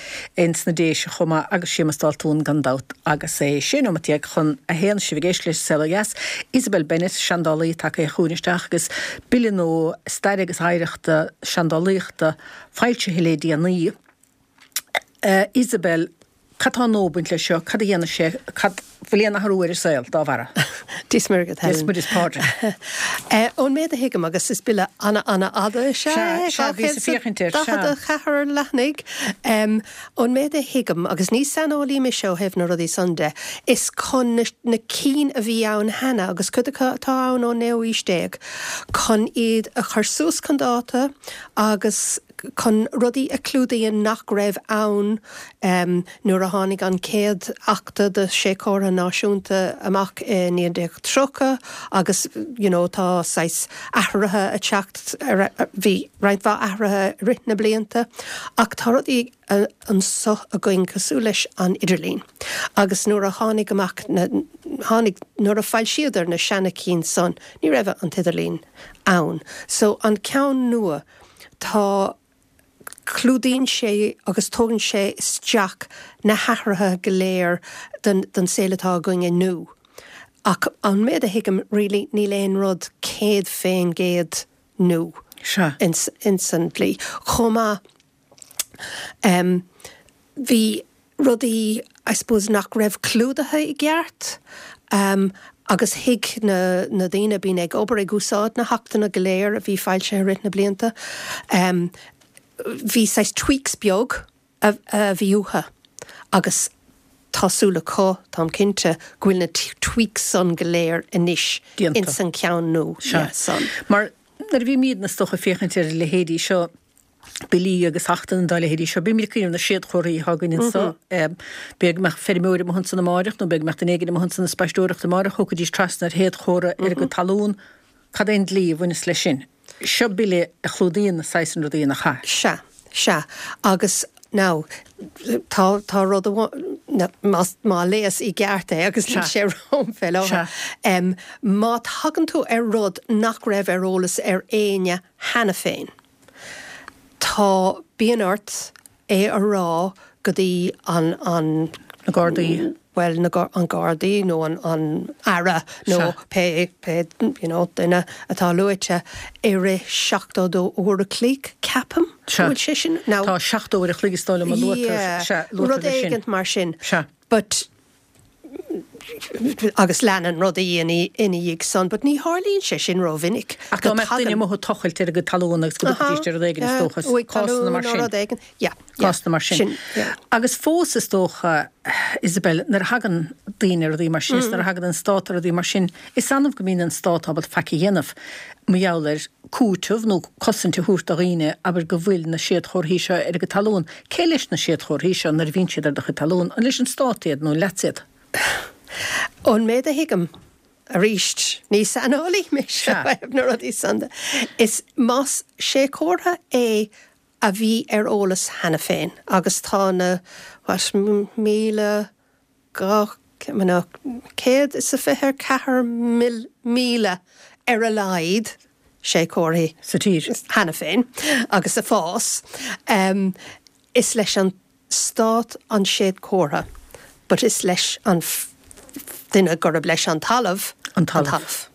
ins na Déise chomh maith agus Séamus Daltún gan dabht agus é sé nóiméad déag chun a haon sibh ag éisteacht leis Saol Ó Dheas. Isabel Bennett, seandálaí tagtha chugainn isteach agus bille nua staire agus oidhreachta seandálaíochta foilsithe le déanaí. Uh, Isabel, cad tá nua ag baint leis seo, cad a dhéanann sé, cad bhfuil aon athrú ar an saol dá bharra? Dia 's Muire dhuit Dia 's Muire is Pádraig. Ón méid a thuigim agus is bille ana ana fhada Sea, sea, bhíos ag féachaint air, sea. daichead a ceathair leathanaigh. Ón méid a thuigim agus ní saineolaí mise ó thaobh na rudaí san de, is chun na, na cinn a bhí ann cheana agus cuid acu atá ann ón naoú haois déag, chun iad a chur suas chun dáta agus chun rudaí a chlúdaíonn nach raibh ann um, nuair a tháinig an chéad Acht de Séadchomhartha Náisiúnta amach i naoi déag tríocha agus you know, tá saghas athruithe ag teacht bhí roinnt mhaith athruithe i rith na blianta ach tá rudaí anseo againn cosúil leis an idirlíon. Agus nuair a tháinig amach na, tháinig nuair a foilsíodar na seana cinn san, ní raibh an t-idirlíon ann. So an ceann nua tá clúdaíonn sé agus tógann sé isteach na hathruithe go léir den, den saol atá againn inniu. Ach an méid a thuigim really níl aon rud céad faoin gcéad nua Sea. ins, ins an dlí. Chomh maith um, bhí rudaí I suppose nach raibh clúdaithe i gceart um, agus thuig na, na daoine bíonn ag obair ag úsáid na hachtanna go léir a bhí foilsithe i rith na blianta. Um, bhí saghas tweaks beag a, a bhí uathu agus tá súil acu táim cinnte go bhfuil na tweaks san go léir anois Déanta. ins an ceann nua Sea. san. Mar nuair a bhímid is dócha ag féachaint ar leithéidí seo billí agus achtanna dá leithéidí seo, bímid ag cuimhneamh na séadchomharthaí atá againn anseo. B'fhéidir go mbeadh feirmeoir amuigh ansan amárach nó b'fhéidir go mbeadh duine éigin amuigh ansan ag spaisteoireacht amárach, thiocfaidís trasna ar shéadchomhartha ar a gcuid talún. Cad é an dlí a bhaineas leis sin? Seo bille a chlúdaíonn na saghas sin rudaí nach ea? Sea, sea. Agus now tá tá rud amháin má má léas i gceart é agus níl sé romham fé láthair. Um, má thagann tú ar rud nach raibh ar eolas ar éinne cheana féin. Tá bíonn ort é a rá go dtí an an Na Gardaí. Well na an Gardaí nó an an Aire nó pé pé you know, duine atá luaite i rith seachtó dó uair a chloig ceapaim Sea. bhfuil sé sin now Tá seachtó uair a chloig is dóigh liom a luaitear sea, luaitear rud leis sin. éigint mar sin. Sea. But agus leanann rudaí ina ina dhiaidh san, but ní tharlaíonn sé sin rómhinic. Ach dá mbeadh duine amuigh ag tochailt ar a gcuid talún agus go dtiocfaidís ar rud éigin is dócha, cásanna mar sin. Rud éigin, yeah, yeah. Cásanna mar sin. Sin, yeah. Agus fós is dócha, Isabel, nuair a thagann daoine ar rudaí mar sin, is nuair a thagann an stát ar rudaí mar sin, is annamh go mbíonn an stát ábalta faic a dhéanamh mar gheall ar cúiteamh nó cosaint a thabhairt do dhaoine abair go bhfuil na séadchomharthaí seo ar a gcuid talún. Cé leis na séadchomharthaí seo nuair a bhíonn siad ar do chuid talún? An leis an stát iad nó an leatsa iad? Ón méid a thuigim arís ní saineolaí mise Sea. na rudaí san de. Is más séadchomhartha é a bhí ar eolas cheana féin agus tá na what, míle dhá céad is a fiche ceathair míle ar a laghad séadchomharthaí sa tír cheana féin agus ag fás. Um, is leis an stát an séadchomhartha, but is leis an duine gurb leis an talamh an talamh. An talamh.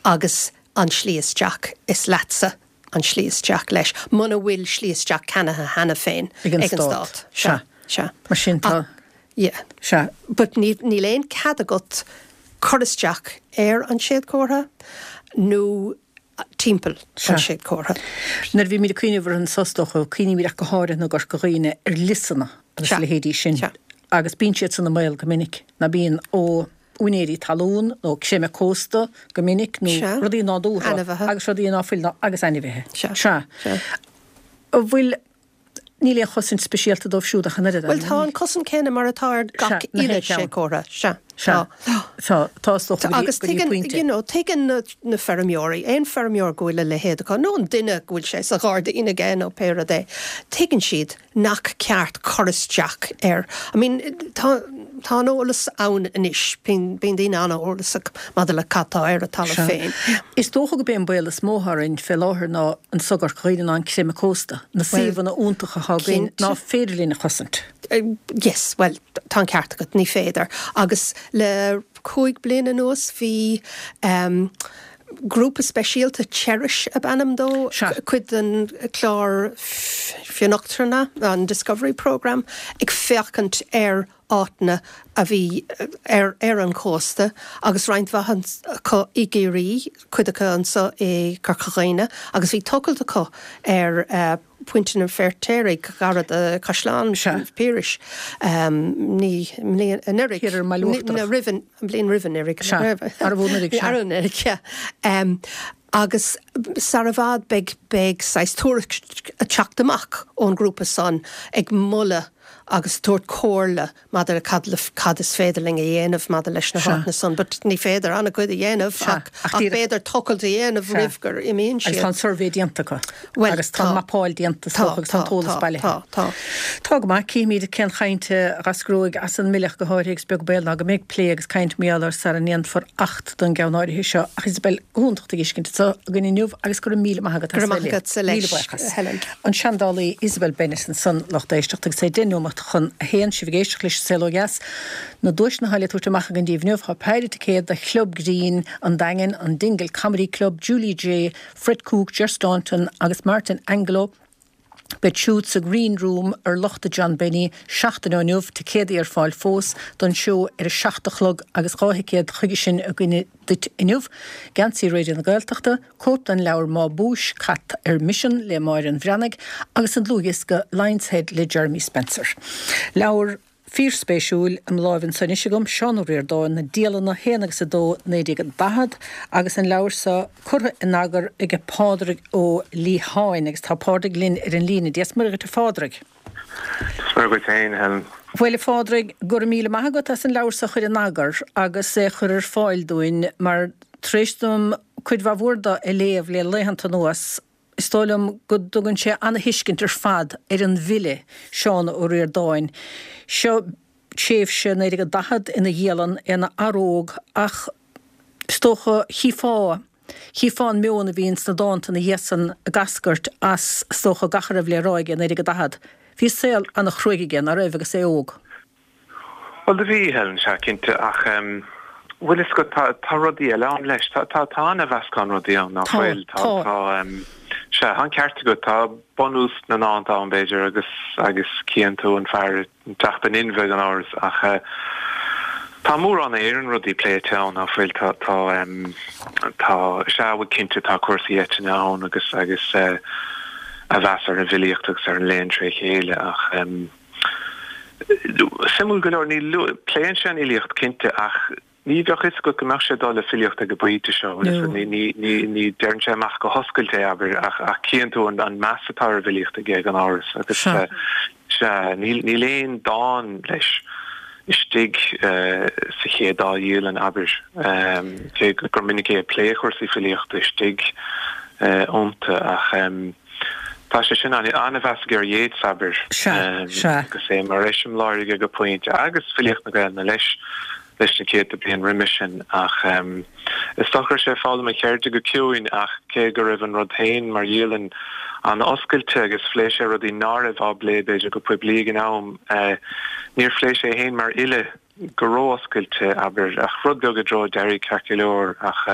Agus an slí isteach is leatsa an slí isteach leis, muna bhfuil slí isteach ceannaithe cheana féin ag an stát. Sea. Sea. Mar sin tá. Yeah. Sea. But níl aon cead agat cur isteach ar an séadchomhartha nó timpeall an séadchomhartha. Nuair a bhímid ag cuimhneamh ar an is dócha, cuimhnímid ach go háirithe i gCorca Dhuibhne ar liosanna agus a leithéidí sin. Agus bíonn siad san i mbaol go minic, ná bíonn ó úinéirí talún nó creimeadh cósta go minic nó rudaí nádúrtha agus rudaí ná fuil agus ainmhithe. Sea. An bhfuil Níl aon chosaint speisialta dóibh siúd ach an oiread. Bhuel tá an cosaint céanna mar atá ar gach uile séadchomhartha. Sea. Sea. Tá, tá is dócha go dtí, go dtí pointe. Agus tuigeann, you know, tuigeann na, na feirmeoirí, aon feirmeoir go bhfuil a leithéid acu, nó an duine go bhfuil sé sa ghairdín aige nó pé rud é, tuigeann siad nach ceart cur isteach air. I mean, tá, tá an eolas ann anois, bíonn, bíonn daoine an-eolasach maidir le cad tá ar a talamh féin. Is dócha gurb é an baol is mó orainn fé láthair ná anso i gCorca Dhuibhne ná an creimeadh cósta, na suíomhanna iontacha atá againn ná féidir linn a chosaint. Yes, bhuel, tá an ceart agat, ní féidir. Agus le cúig bliana anuas bhí um, grúpa speisialta Cherish ab ainm dó, cuid den chlár Fionnachtana, an Discovery Programme, ag féachaint ar áiteanna a bhí ar ar an chósta agus roinnt mhaith acu i gCiarraí, cuid acu anseo i gCorca Dhuibhne agus bhí tochailt acu ar Pointe an Fheirtéaraigh gar do Chaisleán Phiarais ní anuraidh, Thiar ar an mBaile Uachtarach. roimh an bliain roimh anuraidh. Sea, arbh anuraidh, sea. Arbh anuraidh, sea. Agus sar i bhfad beidh beidh saghas tuairisc ag teacht amach ón ngrúpa san ag moladh agus ag tabhairt comhairle maidir le cad le cad is féidir linn a dhéanamh maidir leis na háiteanna san. But ní féidir an-chuid a dhéanamh ach ach b'fhéidir tochailt a dhéanamh roimh gur imíonn siad. Agus tá an suirbhé déanta acu. Bhuel, Agus tá an mapáil déanta is dócha agus tá an t-eolas bailithe. Tá, tá. Tá go maith. Cífimid cén chaint a dh'eascróidh as an mBille ach go háirithe agus beag baol ná go mbeidh plé agus caint mar gheall air sara ndéanfar Acht don gceann áirithe seo. Ach Isabel, go hiontach tú a fheiscint anseo againn inniu agus go raibh míle maith agat as a bheith linn. Go raibh maith agatsa Míle leis, buíochas. Helen. An seandálaí Isabel Bennett ansan, lucht éisteachta, agus é deich nóimeat chun a haon, sibh ag éisteacht leis An Saol Ó Dheas. Na duaiseanna atá le tabhairt amach againn daoibh inniu, tá péire ticéad do Chlub Grinn an Daingin, an Dingle Comedy Club, Julie Jay, Fred Cooke, Ger Staunton agus Martin Angelo. Beidh siúd sa Green Room ar Lochta John Benny seachtain ó inniu, ticéadaí ar fáil fós don seó ar a seacht a chlog agus dhá thicéad chuige sin againne duit inniu, Geansaí Raidió na Gaeltachta, cóip den leabhar Má Búis, Cat ar Misean le Máire an Bhreathnaigh agus an dlúthdhiosca Lion's Head le Jeremy Spencer. Leabhar. Fíorspéisiúil i mo láimh anso anois agam, Seán Ó Ríordáin, Na Dialanna, a haon agus a dó, naoi déag daichead, agus an leabhar seo curtha in eagar ag Pádraig Ó Liatháin, agus tá Pádraig linn ar an líne. Dia 's Muire dhuit a Phádraig. Dia 's Muire dhuit féin, a Helen. Bhuel a Phádraig, go raibh míle maith agat as an leabhar seo a chur in eagar agus é a chur ar fáil dúinn, mar tar éis dom cuid mhaith mhór de a léamh le laethanta anuas, Is dóigh liom go dtugann sé ana-thuiscint ar fad ar an bhfile, Seán Ó Ríordáin. Seo tréimhse naoi déag daichead ina dhialann, é ina fhear óg ach is dócha, chífeá, chífeá an meon a bhíonn sna dánta ina dhiaidh san ag eascairt as, is dócha, gach a raibh le rá aige i naoi déag daichead. Bhí saol ana-chruaidh aige, ná raibh, agus é óg? Bhuel, do bhí, Helen, sea, cinnte, ach em, bhfuil fhios agat, tá, tá rudaí eile ann leis. Tá, tá, tá ana-mheascán rudaí ann, ná Tá, fuil? Tá, tá. tá, em, sea, tá an ceart agat, tá bunús na ndánta ann, b'fhéidir, agus, agus cíonn tú an fear ag teacht in inmhe, gan amhras, ach eh, tá mórán Éireann rudaí pléite ann, ná fuil? Tá, tá, em, tá, sea, bhuel, cinnte, tá cúrsaí eitinne ann agus, agus eh, a mheas ar an bhfilíocht agus ar an léann tré chéile, ach em, Suimiúil go leor, ní pléann sé an fhilíocht cinnte ach ní bheadh fhios agat go mbeadh sé ag dul le filíocht ag an bpointe seo, bhfuil fhios agat, ní, ní, ní deireann sé amach go hoscailte é, abair, ach, ach cíonn tú an, an meas atá ar an bhfilíocht aige gan amhras agus Sea. sea, níl, níl aon dán leis istigh sa chéad dá dhialann, abair, cé gur minic é ag plé chúrsaí filíochta istigh iontu ach. Tá sé sin an-mheas aige ar Yeats, abair, Sea, sea. agus é mar eiseamláir aige go pointe, agus filíocht na Gaelainne leis, leis na céadta bliain roimis sin, ach Is dócha go raibh sé ag foghlaim a cheirde go ciúin ach cé go raibh an rud féin mar dhialann an-oscailte agus phléigh sé rudaí ná raibh á bplé b'fhéidir go poiblí ag an am, níor phléigh sé é féin mar fhile go ró-oscailte, abair, ach rud beag i dtreo deiridh ceart go leor ach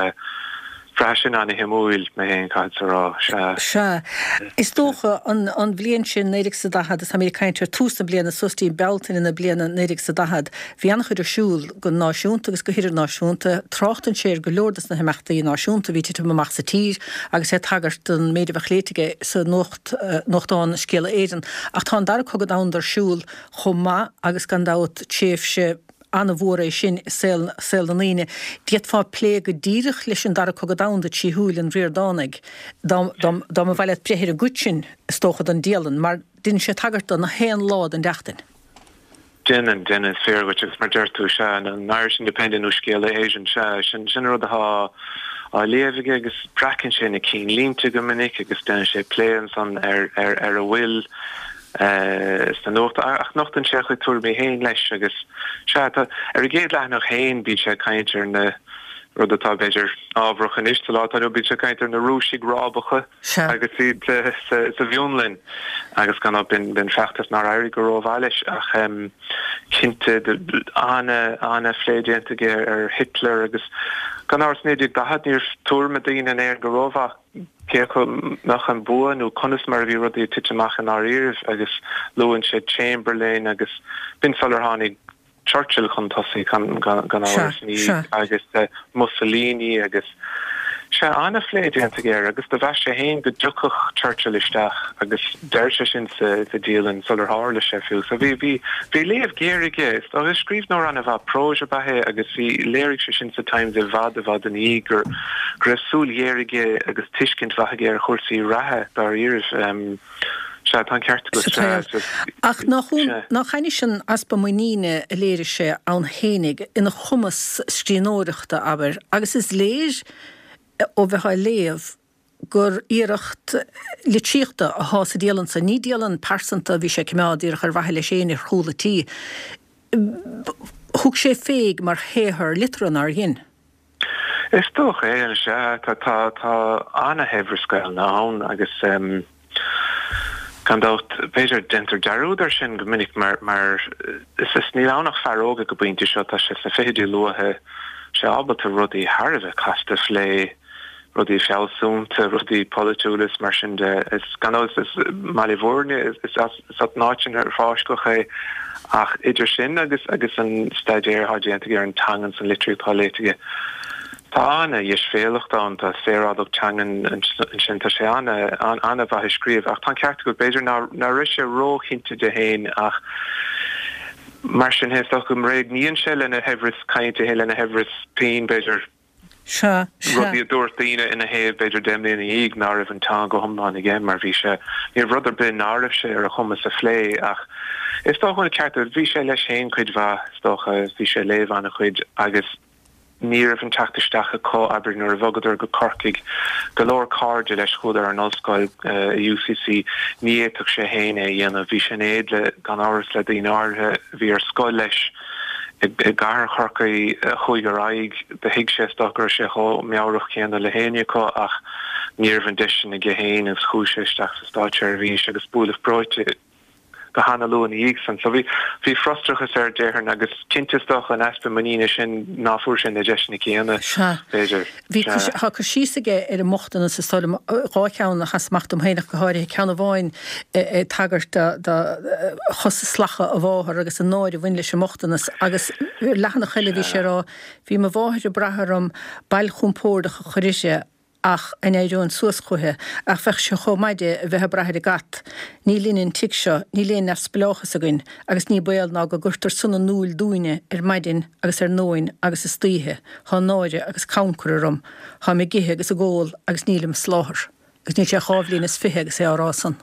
bhraith sin an-shuimiúil mé féin, caithfeadsa a rá, sea. Sea. Is dócha, an an bhliain sin, naoi déag is a daichead, is táimid ag caint ar tús na bliana, suas dtí Bealtaine na bliana naoi déag is a daichead, bhí an-chuid ar siúl go náisiúnta agus go hidirnáisiúnta. Tráchtann sé ar go leor de na himeachtaí náisiúnta a bhí ag titim amach sa tír agus é ag tagairt don méid a bheadh léite aige sa nuacht, nuachtán Scéala Éireann. Ach tá an Dara Cogadh Domhanda ar siúl chomh maith agus gan dabht tréimhse an-mhór é sin i saol saol na ndaoine. D'fhéadfá plé go díreach leis an Dara Cogadh Domhanda trí shúil an Ríordánaigh dá dá dá mba mhaith leat breith ar an gcuid sin, is dócha, den dialann, mar déanann sé tagairt do na haon lá den tseachtain. Déanann, déanann, is fíor dhuit agus mar deir tú, sea, an Irish Independent nó Scéala Éireann, sea, sin sin an rud atá á léamh aige agus breacann sé na cinnlínte go minic agus déanann sé plé ansan ar ar ar a bhfuil sna nuacht ach nochtann sé a chuid tuairimí féin leis agus, sea, tá, ar an gcéad leathanach féin bíonn sé ag caint ar na, rud atá b'fhéidir ábharach anois sa lá atá inniu, bíonn sé ag caint ar na Rúisigh rábacha Sea. agus iad sa sa bhFionlainn agus gan dabht b'in b'in feachtas nár éirigh go rómhaith leis ach cinnte ana ana phlé déanta aige ar Hitler agus gan amhras naoi déag daichead ní raibh tuairim ag daoine in Éirinn go rómhaith cé acu mbeadh an bua nó conas mar a bhí rudaí ag titim amach i ndáiríribh agus luann sé Chamberlain agus b'in sular tháinig Churchill chun tosaigh gan amhras ní agus Mussolini agus sea an-phlé déanta aige air agus do mheas sé féin go dtiocfadh Churchill isteach agus deir sé sin sa dialann sular tharla sé fiú. So bhí bhí bhí léamh géar aige is agus scríbhneoir an-mhaith próis ab ea é agus bhí léirigh sé sin sa Times i bhfad i bhfad ina dhiaidh gur go raibh súil ghéar aige agus tuiscint mhaith aige ar chúrsaí reatha dáiríribh. Sea, tá an ceart agat, Sa sea. tsaol. Ach nach Sea. nach ainnis an easpa muiníne a léirigh sé ann fhéinig, ina chumas scríbhneoireachta, abair, agus is léir ó bheith á léamh gur iarracht litríochta athá sa dialann san. Ní dialann pearsanta a bhí sé ag coimeád díreach ar mhaithe leis fhéin ar chúl a tí. Thug sé féig mar shaothar liteartha, nár dhein? Is dócha é, sea. Tá, tá, tá ana-shaibhreas Gaelainne ann agus gan dabht, b'fhéidir, déantar dearúd air sin go minic mar, mar is, is níl ann ach fear óg ag an bpointe seo, tá sé sna fichidí luatha, sé ábalta rudaí thar a bheith casta a phlé, rudaí fealsúnta, rudaí polaitiúla is mar sin de. Is gan dabht, is i mBaile Bhuirne, is as an áit sin ar fáisceadh é ach idir sin agus agus an staidéar atá déanta aige ar an teangain is an litríocht atá léite aige, tá ana-dheisbhéalacht ann, tá saorálacht teangan ansin, tá sé ana-mhaith ag scríobh ach tá an ceart agat, b'fhéidir ná raibh sé róchinnte de féin ach mar sin is dócha go mbréagnaíonn sé lena shaibhreas cainte féin, lena shaibhreas pinn b'fhéidir. Sea, sea. Rudaí a dúirt daoine ina thaobh b'fhéidir deich mbliana ina dhiaidh ná raibh an teanga go hiomlán aige mar bhí sé, ní raibh rud ar bith ná raibh sé ar a chumas a phlé ach is dócha an ceart agat, bhí sé leis féin cuid mhaith is dócha, bhí sé ag léamh an-chuid agus ní raibh an teacht isteach acu, abair nuair a bhogadar go Corcaigh, go leor cairde leis chuadar ar an ollscoil i UCC, ní fhéadfadh sé féin é a dhéanamh, bhí sé in éad le, gan amhras le daoine áirithe a bhí ar scoil leis. i gcathair Chorcaí a chuaigh ar aghaidh. Do thuig sé is dócha go raibh sé chomh meabhrach céanna le héinne acu ach ní raibh an deis sin aige féin agus chuaigh sé isteach sa státseirbhís agus buaileadh breoite go hana-luath ina dhiaidh san. So bhí bhí frustrachas air déarfainn agus cinnte is dócha an easpa muiníne sin ná fuair sé na deiseanna céanna, Sea. b'fhéidir. Bhí Sea. tá cur síos aige ar an mbochtanas is dóigh liom, dhá cheann a sheas amach dom féin ach go háirithe, ceann amháin ag tagairt do chosa salach a mháthar agus an náire a bhain leis an mbochtanas agus leathanach eile bhí sé ag rá bhí mo mháthair ag brath orm bail chompordach a chur uirthi ach a n-éireoinn suas chúithi, ach bheadh sé chomh maith di a bheith ag brath ar an gcat. Ní linne an tigh seo, níl aon neamhspleáchas againn agus ní baol ná go gcuirtear sona in iúl dúinne ar maidin agus ar nóin agus istoíche. Thá náire agus cancar orm. Tháim ag ithe agus ag ól agus nílim ag soláthar. Agus níl sé dhá bhliain is fiche agus é á rá san.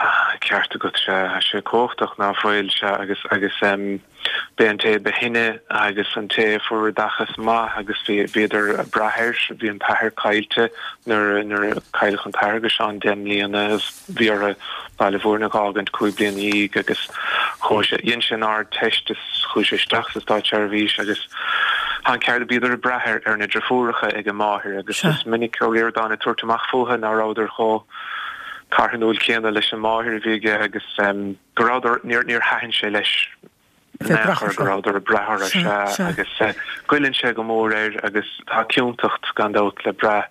Ah, ceart agat, sea, tá sé cumhachtach, ná fuil, sea, agus, agus em, b'é an té ba shine agus an té a fuair oideachas maith agus bhí, bhíodar ag brath air, bhí an t-athair caillte nuair a, nuair a cailleadh an t-athair agus Seán deich mbliana agus bhí orthu Baile Bhúirne a dh'fhágaint cúig bliana dhéag agus chuaigh sé, dhein sé an Ardteist is chuaigh sé isteach sa státseirbhís agus Tá an ceart, bhíodar ag brath ar na deirfiúracha ag an máthair agus is minic Ó Ríordáin ag tabhairt amach fúthu ná rabhadar chomh carthanúil céanna leis an máthair a bhí aige agus go rabhadar, níor níor thaitin sé leis in aon chor go rabhadar ag brath orthu, sea, agus goilleann sé go mór air agus tá ciontacht gan dabht le brath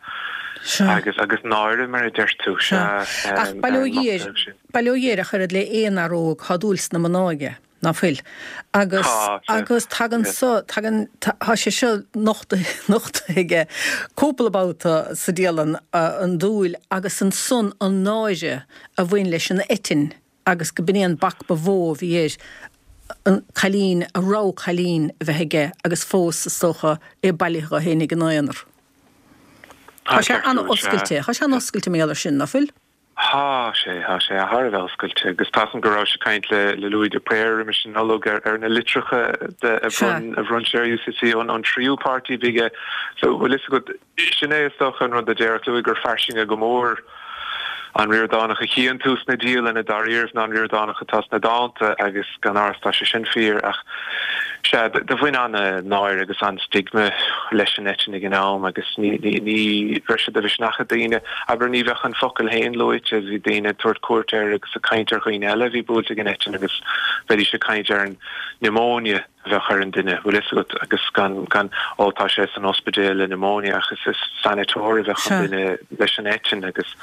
agus agus náire mar a deir tú, sea. Ach bail ó Dhia air, bail ó Dhia air ach oiread le aon fhear óg, tá dúil sna mná aige. Ná fuil? Agus, agus tagann so, tagann, tá sé seo nochtaithe, nochtaithe aige cúpla babhta sa dialann, an dúil agus ansan an náire a bhain leis an eitinn agus go b'in é an bac ba mhó a bhí air, an cailín, a rogha cailín a bheith aige agus fós, is dócha, é bailithe dhó fhéinig ina aonar. Tá sé an-oscailte, tá sé an-oscailte mar gheall air sin, ná fuil? Thá sé, thá sé thar a bheith oscailte agus tá 'fhios a'm go rabhais ag caint le le Louis de Paor roimis an Nollaig ar ar na litreacha de a bhronn a bhronn sé ar UCC ón ón tríú páirtí a bhí aige. So bhfuil fhios agat, sin é is dócha an rud a déarfadh Louis gur fairsinge go mór an Ríordánach a chíonn tú sna dialanna dáiríribh ná an Ríordánach atá sna dánta agus gan amhras tá sé sin fíor ach sea, do bhain an-náire agus an-stigma leis an eitinn ag an am agus ní ní raibh sé de mhisneach ag daoine, abair ní bheadh an focal féin luaite, bhí daoine ag tabhairt cuairt air agus ag caint ar dhaoine eile a bhí buailte ag an eitinn agus bheidís ag caint ar an pneumonia a bheadh ar an duine, bhfuil fhios agat, agus gan, gan, ó tá sé san ospidéal le pneumonia ach is, is sanatorium a bheadh an duine leis an eitinn agus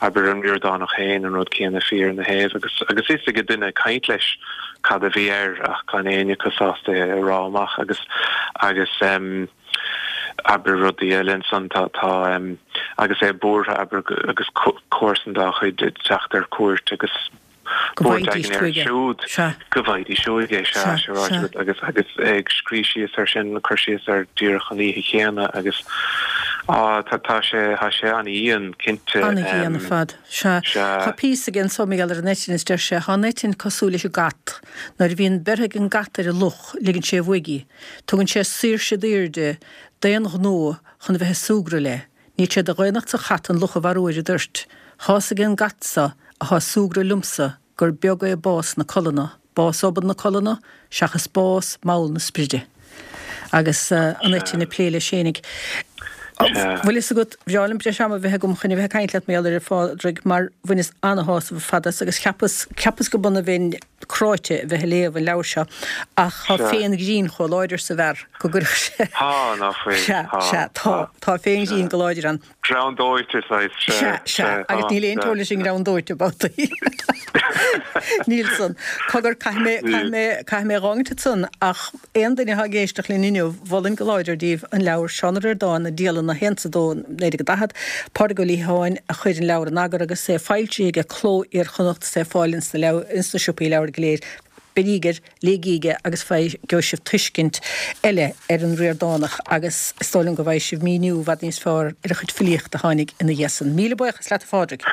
abair an Ríordánach féin an rud céanna fíor ina thaobh agus, agus fhios ag an duine ag caint leis cad a bhí air ach gan éinne acu sásta é a rá amach agus, agus em abair rudaí eile ansan tá, tá em agus é buartha abair agus comharsan dá chuid ag teacht ar cuairt agus Go buairt bhfaighidís éigin air chuige. siúd Sea. go bhfaighidís uaidh é, sea, Sea, sea ráite sea. agat agus, agus é ag scríobh síos air sin, cur síos air díreach an oíche chéanna agus á, tá, tá sé, tá sé an-dhian, cinnte. An-dhian ar fad. Sea. Sea. Tá píosa aige anso mar gheall ar an eitinn is deir sé, Tá an eitinn cosúil leis an gcat. Nuair a bhíonn beirthe ag an gcat ar an luch, ligeann sé uaidh í. Tugann sé saoirse daor di d'aon ghnó chun a bheith ag súgradh léi. Níl sé de dhaonnacht sa chat an luch a mharú ar an dtoirt. Tá's ag an gcat so athá ag súgradh liomsa gur beag é bás na colainne, bás obann na colainne, seachas bás mall na spride. Agus an eitinn ag plé leis fhéinig. Bhfuil fhios agat, bhreá liom breis ama a bheith agam chun a bheith ag caint leat mar gheall air a Phádraig mar bhaineas ana-shásamh ar fad as agus cheapas, cheapas go b'ionann a bheinn cráite a bheith ag léamh an leabhair seo ach tá féin-ghrinn chomh láidir sa bhfear go gcuirfeadh sé Tá, ná fuil, Sea, tá, sea, tá, tá, tá féin-ghrinn go láidir ann. Greann dóite, saghas, sea, Sea, sea, sea, agus tá, níl aon sea. teora leis an ngreann dóite, babhtaí. Níl san. Cogar, caithfidh mé, caithfidh mé, caithfidh mé a dh'fhágaint ansan, ach aon duine atá ag éisteacht linn inniu, mholfainn go láidir daoibh an leabhar Seán Ó Ríordáin, Na Dialanna, a haon is a dó, naoi déag daichead, Pádraig Ó Liatháin a chuir an leabhar in eagar agus é foilsithe ag Cló Iar-Chonnacht is é ar fáil ins na leabhar, ins na siopaí leabhar go léir. Beiríg air, léigíg é agus faigh, gheobhaidh sibh tuiscint eile ar an Ríordánach agus is dóigh liom go bhfaighidh sibh míniú i bhfad níos fearr ar a chuid filíochta a tháinig ina dhiaidh san. Míle buíochas leat a Phádraig.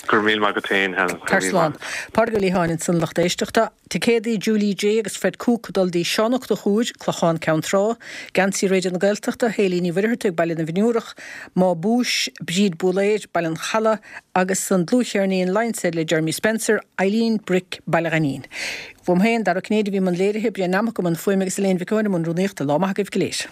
Go raibh míle maith agat féin, Helen. Go Tar raibh míle slán. maith agat. Pádraig Ó Liatháin ansan lucht éisteachta. Ticéadaí Julie Jay agus Fred Cooke ag dul dtí Seán Ó Conchúir, Clochán Ceann Trá, Geansaí Raidió na Gaeltachta, Hayley Ní Mhuircheartaigh, Baile na bhFionnúrach, Má Búis, Bríd Búlaeir, Baile an Chalaidh, agus an dlúthcheirnín Lion's Head le Jeremy Spencer, Eileen Brick, Baile Ghainín. Uaim féin, Dara Ó Cinnéide a bhí i mbun léirithe, Brian Nammock i mbun fuaime agus Elaine Mhic Eoin i mbun rúnaíochta. Lá maith agaibh go léir.